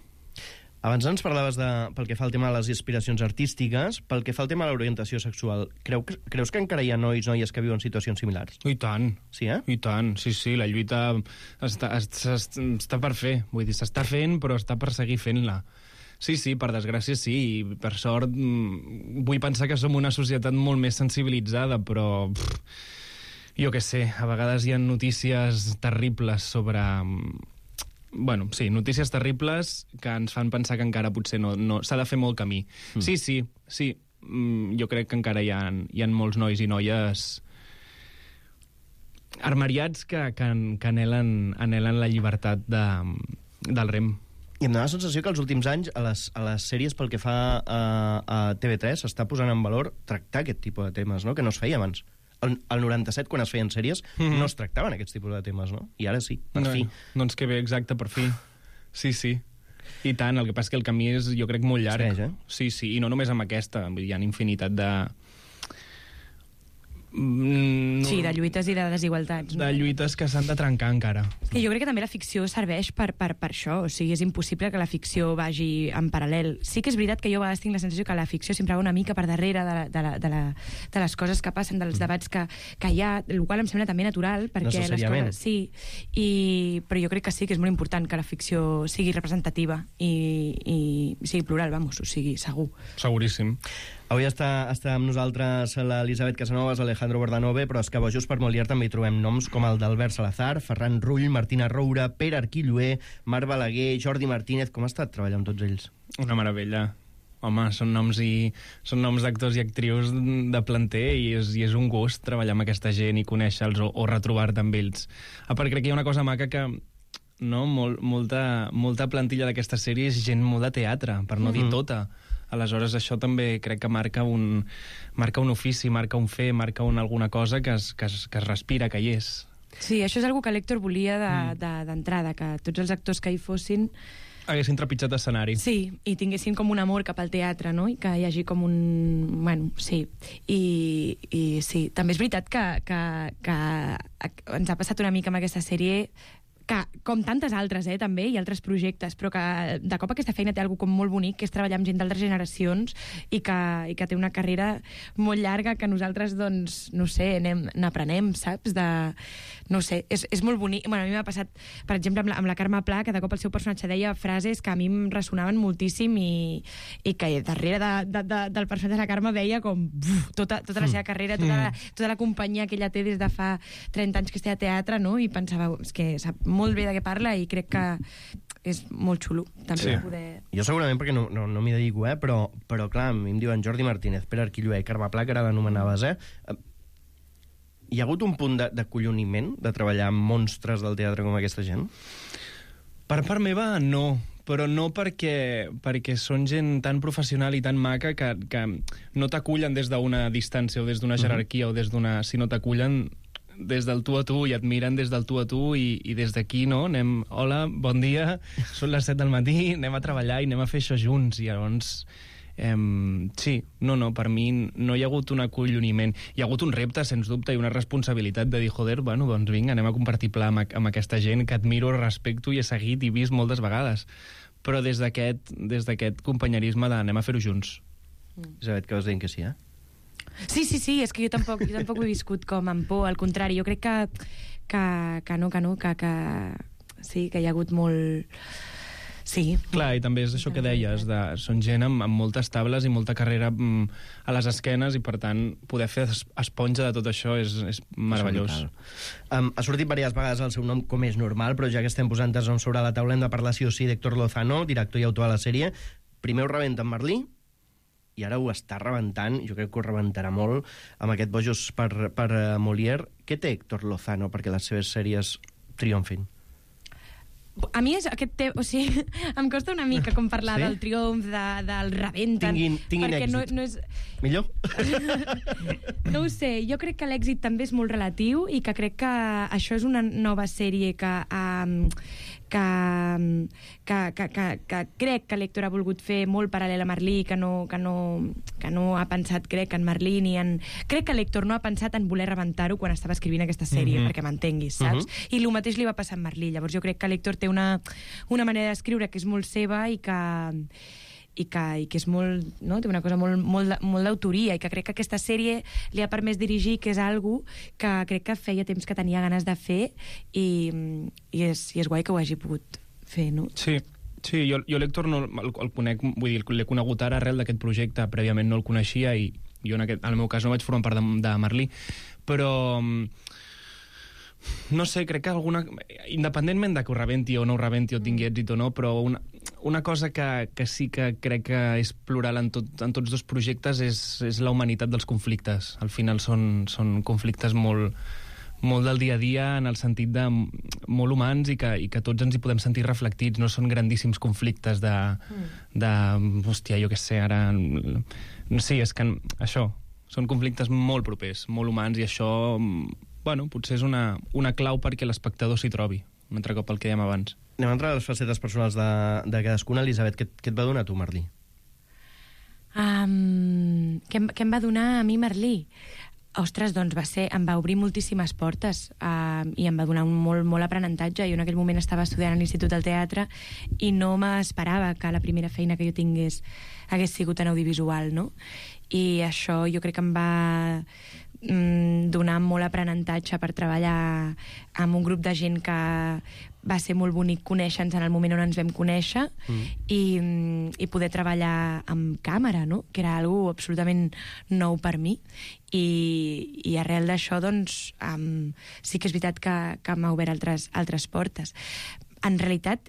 Abans ens parlaves de, pel que fa al tema de les aspiracions artístiques, pel que fa al tema de l'orientació sexual. Creu, creus que encara hi ha nois, noies que viuen situacions similars? I tant. Sí, eh? I tant, sí, sí, la lluita està, està, està per fer. Vull dir, s'està fent, però està per seguir fent-la. Sí, sí, per desgràcia sí, i per sort vull pensar que som una societat molt més sensibilitzada, però... Pff, jo què sé, a vegades hi ha notícies terribles sobre... Bueno, sí, notícies terribles que ens fan pensar que encara potser no, no s'ha de fer molt camí. Mm. Sí, sí, sí. Jo crec que encara hi ha, hi ha molts nois i noies armariats que, que, que anhelen, anhelen la llibertat de, del Rem. I em dóna la sensació que els últims anys a les, a les sèries pel que fa a, a T V tres s'està posant en valor tractar aquest tipus de temes, no?, que no es feia abans. Al noranta-set, quan es feien sèries, mm-hmm. no es tractaven aquests tipus de temes, no? I ara sí, per no, fi. Doncs que bé, exacte, per fi. Sí, sí. I tant, el que passa és que el camí és, jo crec, molt llarg. Segueix, eh? Sí, sí, i no només amb aquesta. Hi ha infinitat de... Mm, sí, de lluites i de desigualtats. No? De lluites que s'han de trencar encara. I jo crec que també la ficció serveix per, per, per això. O sigui, és impossible que la ficció vagi en paral·lel. Sí que és veritat que jo a vegades tinc la sensació que la ficció sempre va una mica per darrere de, la, de, la, de, la, de les coses que passen, dels debats que, que hi ha, el qual em sembla també natural, perquè les coses... Sí, i, però jo crec que sí que és molt important que la ficció sigui representativa i, i sigui plural, vamos, o sigui, segur. Seguríssim. Avui està, està amb nosaltres l'Elisabet Casanovas, Alejandro Bordanove, però és que a Bojos per Molière també hi trobem noms com el d'Albert Salazar, Ferran Rull, Martina Roura, Pere Arquilloé, Marc Balaguer, Jordi Martínez. Com ha estat treballar amb tots ells? Una meravella. Home, són noms i són noms d'actors i actrius de planter, i és, i és un gust treballar amb aquesta gent i conèixer-los o, o retrobar-te amb ells. A part, crec que hi ha una cosa maca que... No? Mol, molta, molta plantilla d'aquesta sèrie és gent molt de teatre, per no mm-hmm. dir tota. Aleshores, això també crec que marca un, marca un ofici, marca un fer, marca un, alguna cosa que es, que, es, que es respira, que hi és. Sí, això és una que l'Héctor volia d'entrada, de, de, que tots els actors que hi fossin haguessin trepitjat escenari. Sí, i tinguessin com un amor cap al teatre, no? I que hi hagi com un... Bueno, sí. I, i sí, també és veritat que, que, que ens ha passat una mica amb aquesta sèrie que, com tantes altres, eh, també, i altres projectes, però que de cop aquesta feina té alguna com molt bonic, que és treballar amb gent d'altres generacions i que, i que té una carrera molt llarga que nosaltres, doncs, no sé, anem, n'aprenem, saps? De, no sé, és, és molt bonic. Bueno, a mi m'ha passat, per exemple, amb la, amb la Carme Pla, que de cop el seu personatge deia frases que a mi em ressonaven moltíssim i, i que darrere de, de, de, del personatge de la Carme veia com buf, tota, tota la seva carrera, tota la, tota la companyia que ella té des de fa trenta anys que està a teatre, no? I pensava, és que sap molt bé de què parla i crec que és molt xulo també sí. poder... Jo segurament perquè no, no, no m'hi dedico, eh? però, però clar, a mi em diuen Jordi Martínez, Pere Arquilloé i Carme Pla, que ara l'anomenaves, eh? Hi ha hagut un punt de, de colloniment de treballar amb monstres del teatre com aquesta gent? Per part meva, no. Però no perquè, perquè són gent tan professional i tan maca que, que no t'acullen des d'una distància o des d'una jerarquia uh-huh. o des d'una... sinó t'acullen des del tu a tu i et miren des del tu a tu i, i des d'aquí, no? Anem, hola, bon dia, són les set del matí, anem a treballar i anem a fer això junts. I llavors... Um, sí, no, no, per mi no hi ha hagut un acolloniment. Hi ha hagut un repte, sens dubte, i una responsabilitat de dir, joder, bueno, doncs vinga, anem a compartir pla amb, amb aquesta gent que admiro, respecto i he seguit i vist moltes vegades. Però des d'aquest des d'aquest companyerisme d'anem a fer-ho junts. Mm. Isabet, que vas dient que sí, eh? Sí, sí, sí, és que jo tampoc, jo tampoc ho he viscut com amb por, al contrari, jo crec que, que, que no, que no, que, que sí, que hi ha hagut molt... Sí. Clar, i també és això que deies, de, són gent amb, amb moltes tables i molta carrera mm, a les esquenes i, per tant, poder fer esponja de tot això és, és meravellós. Um, ha sortit diverses vegades el seu nom, com és normal, però ja que estem posant els noms sobre la taula hem de parlar sí o sí d'Héctor Lozano, director i autor de la sèrie. Primer ho rebenta amb Merlí, i ara ho està rebentant, jo crec que ho rebentarà molt, amb aquest Bojos per, per uh, Molière. Què té Héctor Lozano perquè les seves sèries triomfin? A mi és aquest tema, o sigui, em costa una mica com parlar sí? del triomf, de, del rebenten, tinguin, tinguin perquè èxit. no, no és... Millor? No ho sé, jo crec que l'èxit també és molt relatiu i que crec que això és una nova sèrie que... Um, que, que, que, que, que crec que l'Héctor ha volgut fer molt paral·lel a Merlí, que no, que no, que no ha pensat, crec, en Merlí ni en... Crec que l'Héctor no ha pensat en voler rebentar-ho quan estava escrivint aquesta sèrie, mm-hmm. perquè m'entenguis, saps? Mm-hmm. I el mateix li va passar a Merlí. Llavors jo crec que l'Héctor té una, una manera d'escriure que és molt seva i que... i que, i que és molt, no? Té una cosa molt, molt, molt d'autoria i que crec que aquesta sèrie li ha permès dirigir, que és algo que crec que feia temps que tenia ganes de fer i, i, és, i és guai que ho hagi pogut fer, no? Sí, sí, jo, jo l'Héctor no, el, el conec, vull dir, l'he conegut ara arrel d'aquest projecte, prèviament no el coneixia i jo en, aquest, en el meu cas no vaig formar part de, de Merlí, però... No sé, crec que alguna... Independentment de que ho rebenti o no ho rebenti o tingui èxit o no, però una, una cosa que, que sí que crec que és plural en, tot, en tots dos projectes és, és la humanitat dels conflictes. Al final són, són conflictes molt, molt del dia a dia en el sentit de molt humans i que, i que tots ens hi podem sentir reflectits. No són grandíssims conflictes de... de hòstia, jo què sé, ara... Sí, és que això... Són conflictes molt propers, molt humans i això... Bueno, potser és una, una clau perquè l'espectador s'hi trobi, un altre cop el que dèiem abans. Anem a entrar a les facetes personals de, de cadascuna. Elisabet, què, què et va donar a tu, Merlí? Um, què, què em va donar a mi, Merlí? Ostres, doncs va ser, em va obrir moltíssimes portes uh, i em va donar un molt, molt aprenentatge. Jo en aquell moment estava estudiant a l'Institut del Teatre i no m'esperava que la primera feina que jo tingués hagués sigut en audiovisual, no? I això jo crec que em va donar molt aprenentatge per treballar amb un grup de gent que va ser molt bonic conèixer-nos en el moment on ens vam conèixer mm. i, i poder treballar amb càmera, no? Que era algo absolutament nou per mi i, i arrel d'això doncs um, sí que és veritat que, que m'ha obert altres, altres portes. En realitat,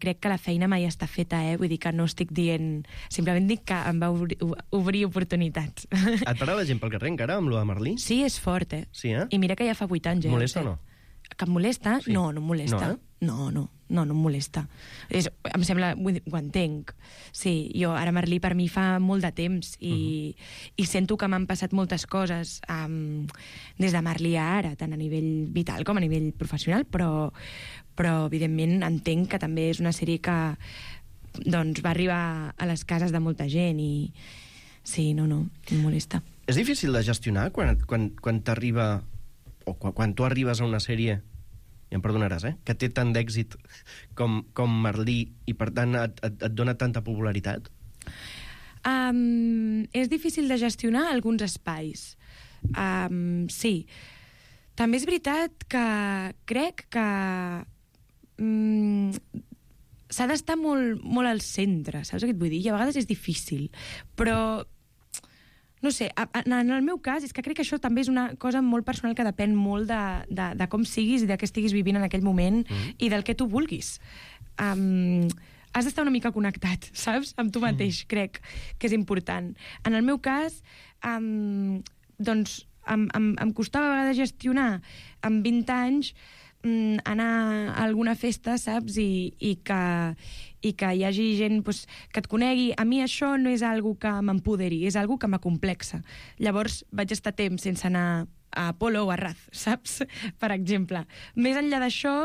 crec que la feina mai està feta, eh? Vull dir que no estic dient... Simplement dic que em va obrir, obrir oportunitats. Et para la gent pel carrer encara amb lo de Merlí? Sí, és fort, eh? Sí, eh? I mira que ja fa vuit anys, eh? Molesta o no? Que em molesta? Sí. No, no em molesta. No, eh? No, no, no, no em molesta. És, em sembla... Vull dir, ho entenc. Sí, jo ara Merlí per mi fa molt de temps i, uh-huh. i sento que m'han passat moltes coses um, des de Merlí a ara, tant a nivell vital com a nivell professional, però... però evidentment entenc que també és una sèrie que doncs, va arribar a les cases de molta gent i sí, no, no, em molesta. És difícil de gestionar quan, quan, quan t'arriba o quan, quan tu arribes a una sèrie i em perdonaràs, eh, que té tant d'èxit com, com Merlí i, per tant, et, et, et dona tanta popularitat? Um, és difícil de gestionar alguns espais. Um, sí. També és veritat que crec que um, s'ha d'estar molt, molt al centre, saps què et vull dir? I a vegades és difícil, però no sé, en el meu cas és que crec que això també és una cosa molt personal que depèn molt de, de, de com siguis i de què estiguis vivint en aquell moment mm. i del que tu vulguis. Um, has d'estar una mica connectat, saps? Amb tu mateix, mm. crec que és important. En el meu cas, um, doncs, em, em, em costava a vegades gestionar amb vint anys um, anar a alguna festa, saps? I, i que... i que hi hagi gent pues, que et conegui. A mi això no és algo que m'empoderi, és algo que m'acomplexa. Llavors vaig estar temps sense anar a Apolo o a Raz, saps? Per exemple. Més enllà d'això...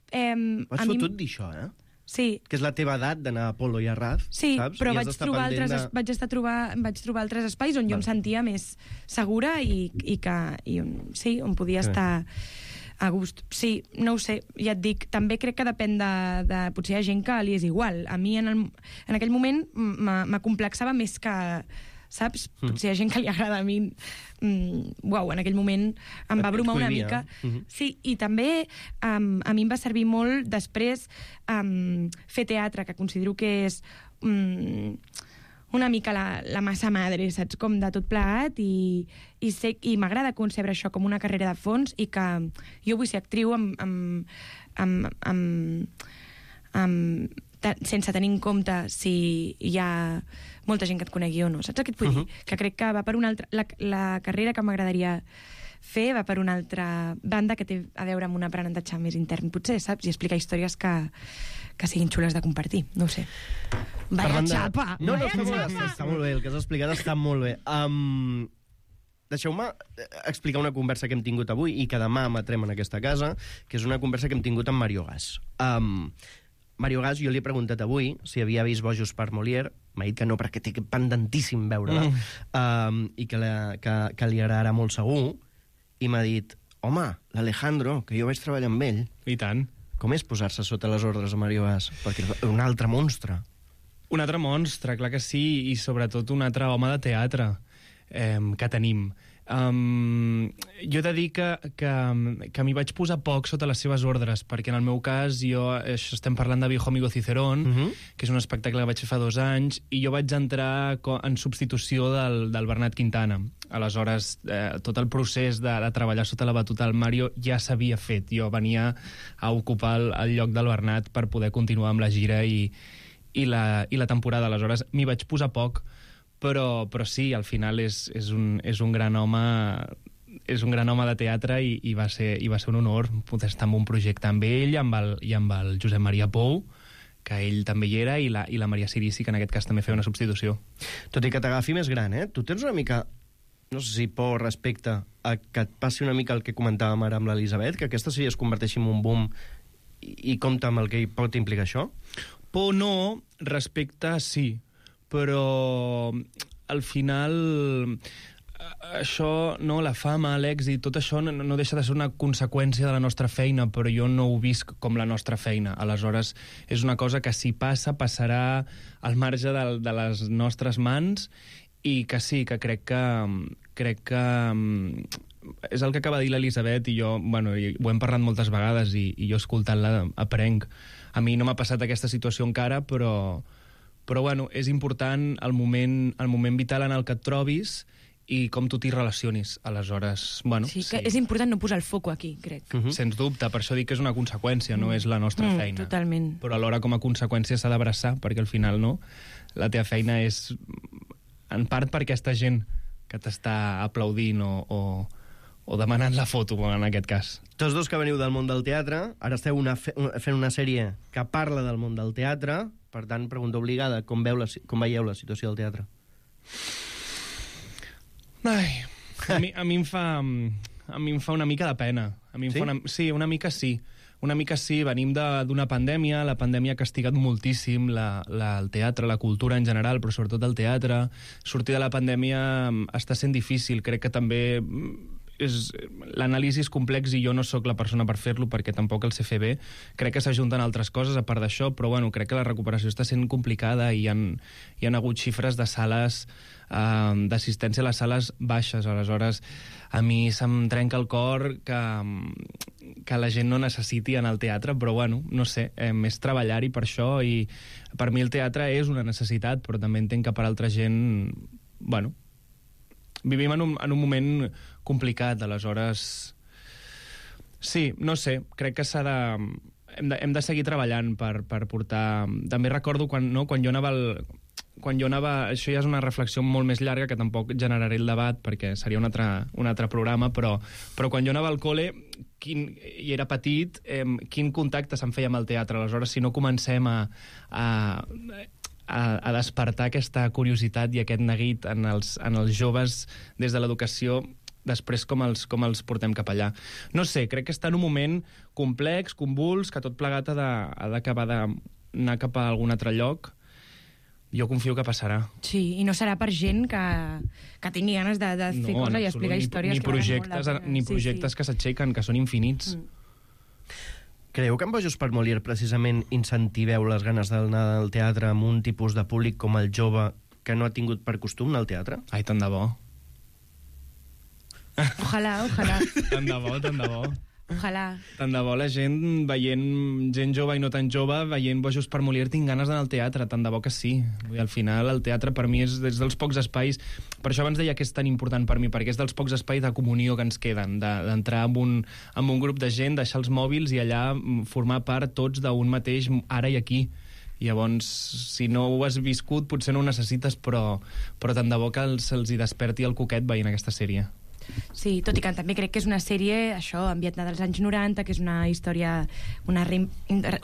Eh, Vas a fotut mi... dir això, eh? Sí. Que és la teva edat d'anar a Apolo i a Raz, sí, saps? però I vaig trobar, altres, de... vaig, estar trobar, vaig trobar altres espais on jo em sentia més segura i, i, que, i on, sí, on podia sí. estar a gust. Sí, no ho sé, ja et dic, també crec que depèn de... de potser hi ha gent que li és igual. A mi en, el, en aquell moment m'acomplexava més que... Saps? Mm. Potser hi ha gent que li agrada a mi. Mm, uau, en aquell moment em va bromar una mica. Mm-hmm. Sí, i també um, a mi em va servir molt després um, fer teatre, que considero que és... Um, una mica la, la massa madre, saps? Com de tot plegat, i, i, sé, i m'agrada concebre això com una carrera de fons i que jo vull ser actriu amb, amb, amb, amb, amb, ta, sense tenir en compte si hi ha molta gent que et conegui o no. Saps què et vull uh-huh. dir? Que crec que va per una altra... La, la carrera que m'agradaria fer va per una altra banda que té a veure amb un aprenentatge més intern, potser, saps? I explicar històries que, que siguin xules de compartir. No ho sé. Vaya de... xapa! No, no, Vaya està, xapa! molt, està molt bé, el que has explicat està molt bé. Um, Deixeu-me explicar una conversa que hem tingut avui i que demà emetrem en aquesta casa, que és una conversa que hem tingut amb Mario Gas. Um, Mario Gas, jo li he preguntat avui si havia vist Bojos per Molière, m'ha dit que no, perquè té pendentíssim veure-la, mm. um, i que, la, que, que li agradarà molt segur, i m'ha dit, home, l'Alejandro, que jo vaig treballar amb ell... I tant. Com és posar-se sota les ordres de Mario Gas? Perquè és un altre monstre. Un altre monstre, clar que sí, i sobretot un altre home de teatre eh, que tenim. Um, jo he de dir que, que, que m'hi vaig posar poc sota les seves ordres, perquè en el meu cas jo, estem parlant de Viejo Amigo Cicerón, uh-huh. que és un espectacle que vaig fer fa dos anys, i jo vaig entrar en substitució del, del Bernat Quintana. Aleshores, eh, tot el procés de, de treballar sota la batuta del Mario ja s'havia fet. Jo venia a ocupar el, el lloc del Bernat per poder continuar amb la gira i, i, la, i la temporada. Aleshores, m'hi vaig posar poc, però, però sí, al final és, és, un, és un gran home és un gran home de teatre i, i, va ser, i va ser un honor poder estar en un projecte amb ell amb el, i amb el Josep Maria Pou, que ell també hi era, i la, i la Maria Sirici, que en aquest cas també feia una substitució. Tot i que t'agafi més gran, eh? Tu tens una mica, no sé si por respecte a que et passi una mica el que comentàvem ara amb l'Elisabet, que aquesta sí es converteixi en un boom i, i compta amb el que pot implicar això? Por no, respecte sí, però al final això, no, la fama, l'èxit, tot això no, no deixa de ser una conseqüència de la nostra feina, però jo no ho visc com la nostra feina. Aleshores, és una cosa que si passa, passarà al marge de, de les nostres mans, i que sí, que crec que crec que és el que acaba de dir l'Elisabet, i jo, bueno, ho hem parlat moltes vegades, i, i jo escoltant-la aprenc. A mi no m'ha passat aquesta situació encara, però però bueno, és important el moment, el moment vital en el que et trobis i com tu t'hi relacionis. Aleshores, bueno... Sí, que sí. És important no posar el foco aquí, crec. Uh-huh. Sens dubte, per això dic que és una conseqüència, mm. no és la nostra mm, feina. Totalment. Però alhora com a conseqüència s'ha d'abraçar, perquè al final, no, la teva feina és en part per aquesta gent que t'està aplaudint o, o, o demanant la foto, en aquest cas. Tots dos que veniu del món del teatre, ara esteu una fe fent una sèrie que parla del món del teatre. Per tant, pregunta obligada, com, veu la, com veieu la situació del teatre? Ai, a mi, a mi, em, fa, a mi em fa una mica de pena. A mi em sí? Fa una, sí, una mica sí. Una mica sí, venim d'una pandèmia, la pandèmia ha castigat moltíssim la, la, el teatre, la cultura en general, però sobretot el teatre. Sortir de la pandèmia està sent difícil. Crec que també és l'anàlisi és complex i jo no sóc la persona per fer-lo perquè tampoc el sé fer bé. Crec que s'ajunten altres coses a part d'això, però bueno, crec que la recuperació està sent complicada i hi ha, hi ha hagut xifres de sales eh, d'assistència a les sales baixes. Aleshores, a mi se'm trenca el cor que, que la gent no necessiti anar al teatre, però bueno, no sé, eh, és treballar-hi per això i per mi el teatre és una necessitat, però també entenc que per altra gent, bueno, vivim en un, en un moment complicat, aleshores... Sí, no sé, crec que s'ha de... Hem, de... hem de seguir treballant per, per portar... També recordo quan, no, quan jo anava al... Quan jo anava... Això ja és una reflexió molt més llarga, que tampoc generaré el debat, perquè seria un altre, un altre programa, però, però quan jo anava al col·le quin, i era petit, eh, quin contacte se'm feia amb el teatre. Aleshores, si no comencem a... a A, a despertar aquesta curiositat i aquest neguit en els, en els joves des de l'educació, després com els, com els portem cap allà. No sé, crec que està en un moment complex, convuls, que tot plegat ha d'acabar d'anar cap a algun altre lloc. Jo confio que passarà. Sí, i no serà per gent que, que tingui ganes de, de fer no, coses i explicar ni, històries. Ni projectes, ni projectes sí, sí. que s'aixequen, que són infinits. Mm. Creieu que en Bojos per Molière precisament incentiveu les ganes d'anar al teatre amb un tipus de públic com el jove que no ha tingut per costum anar al teatre? Ai, tant de bo. Ojalà, ojalà. Tant de bo, tant de bo. Ojalà. Tant de bo la gent veient gent jove i no tan jove, veient Bojos per Molière, tinc ganes d'anar al teatre, tant de bo que sí. I al final el teatre per mi és des dels pocs espais, per això abans deia que és tan important per mi, perquè és dels pocs espais de comunió que ens queden, d'entrar de, en, un, en un grup de gent, deixar els mòbils i allà formar part tots d'un mateix ara i aquí. I llavors, si no ho has viscut, potser no ho necessites, però, però tant de bo que se'ls hi desperti el coquet veient aquesta sèrie. Sí, tot i que també crec que és una sèrie, això, ambientada als anys noranta, que és una història, una, re,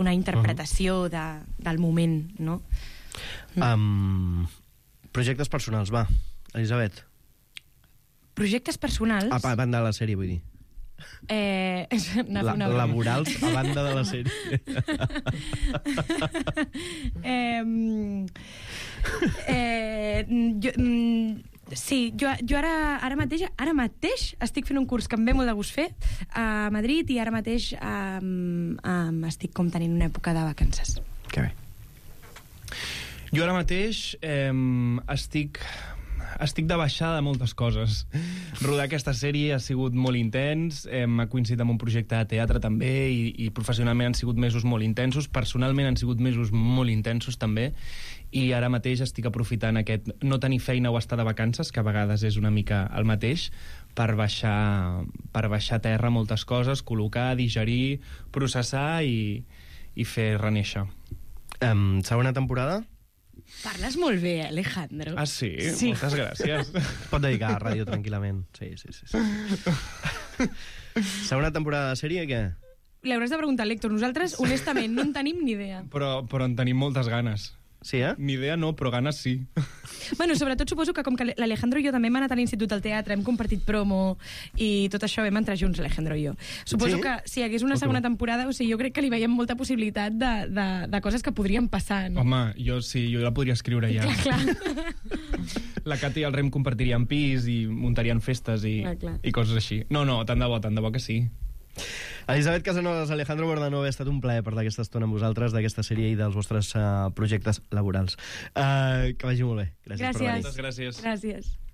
una interpretació de, del moment, no? Um, projectes personals, va, Elisabet. Projectes personals? A, a banda de la sèrie, vull dir. Eh, la, laborals a banda de la sèrie. eh, eh, jo... Sí, jo, jo ara, ara, mateix, ara mateix estic fent un curs que em ve molt de gust fer a Madrid i ara mateix um, um, estic com tenint una època de vacances. Que bé. Jo ara mateix eh, estic... Estic de baixada de moltes coses. Rodar aquesta sèrie ha sigut molt intens, hem coincidit amb un projecte de teatre també i, i professionalment han sigut mesos molt intensos, personalment han sigut mesos molt intensos també, i ara mateix estic aprofitant aquest no tenir feina o estar de vacances, que a vegades és una mica el mateix, per baixar, per baixar a terra moltes coses, col·locar, digerir, processar i, i fer reneixer. Um, segona temporada? Parles molt bé, Alejandro. Ah, sí? Sí. Moltes gràcies. Pot dedicar a ràdio tranquil·lament. Sí, sí, sí. sí. Segona temporada de sèrie, què? Li hauràs de preguntar a l'Héctor. Nosaltres, honestament, no en tenim ni idea. Però, però en tenim moltes ganes. Sí, eh? Ni idea no, però ganes sí. Bueno, sobretot suposo que com que l'Alejandro i jo també hem anat a l'institut del teatre, hem compartit promo i tot això vam entrar junts, Alejandro i jo. Suposo Sí? que si hi hagués una segona temporada, o sigui, jo crec que li veiem molta possibilitat de, de, de coses que podrien passar, no? Home, jo sí, jo la podria escriure ja. Clar, clar. La Cati i el Rem compartirien pis i muntarien festes i, Clar, clar. i coses així. No, no, tant de bo, tant de bo que sí. Elisabet Casanovas, Alejandro Bordanova, ha estat un plaer parlar aquesta estona amb vosaltres d'aquesta sèrie i dels vostres uh, projectes laborals. Uh, que vagi molt bé. Gràcies, Gràcies. per venir. Moltes gràcies. Gràcies.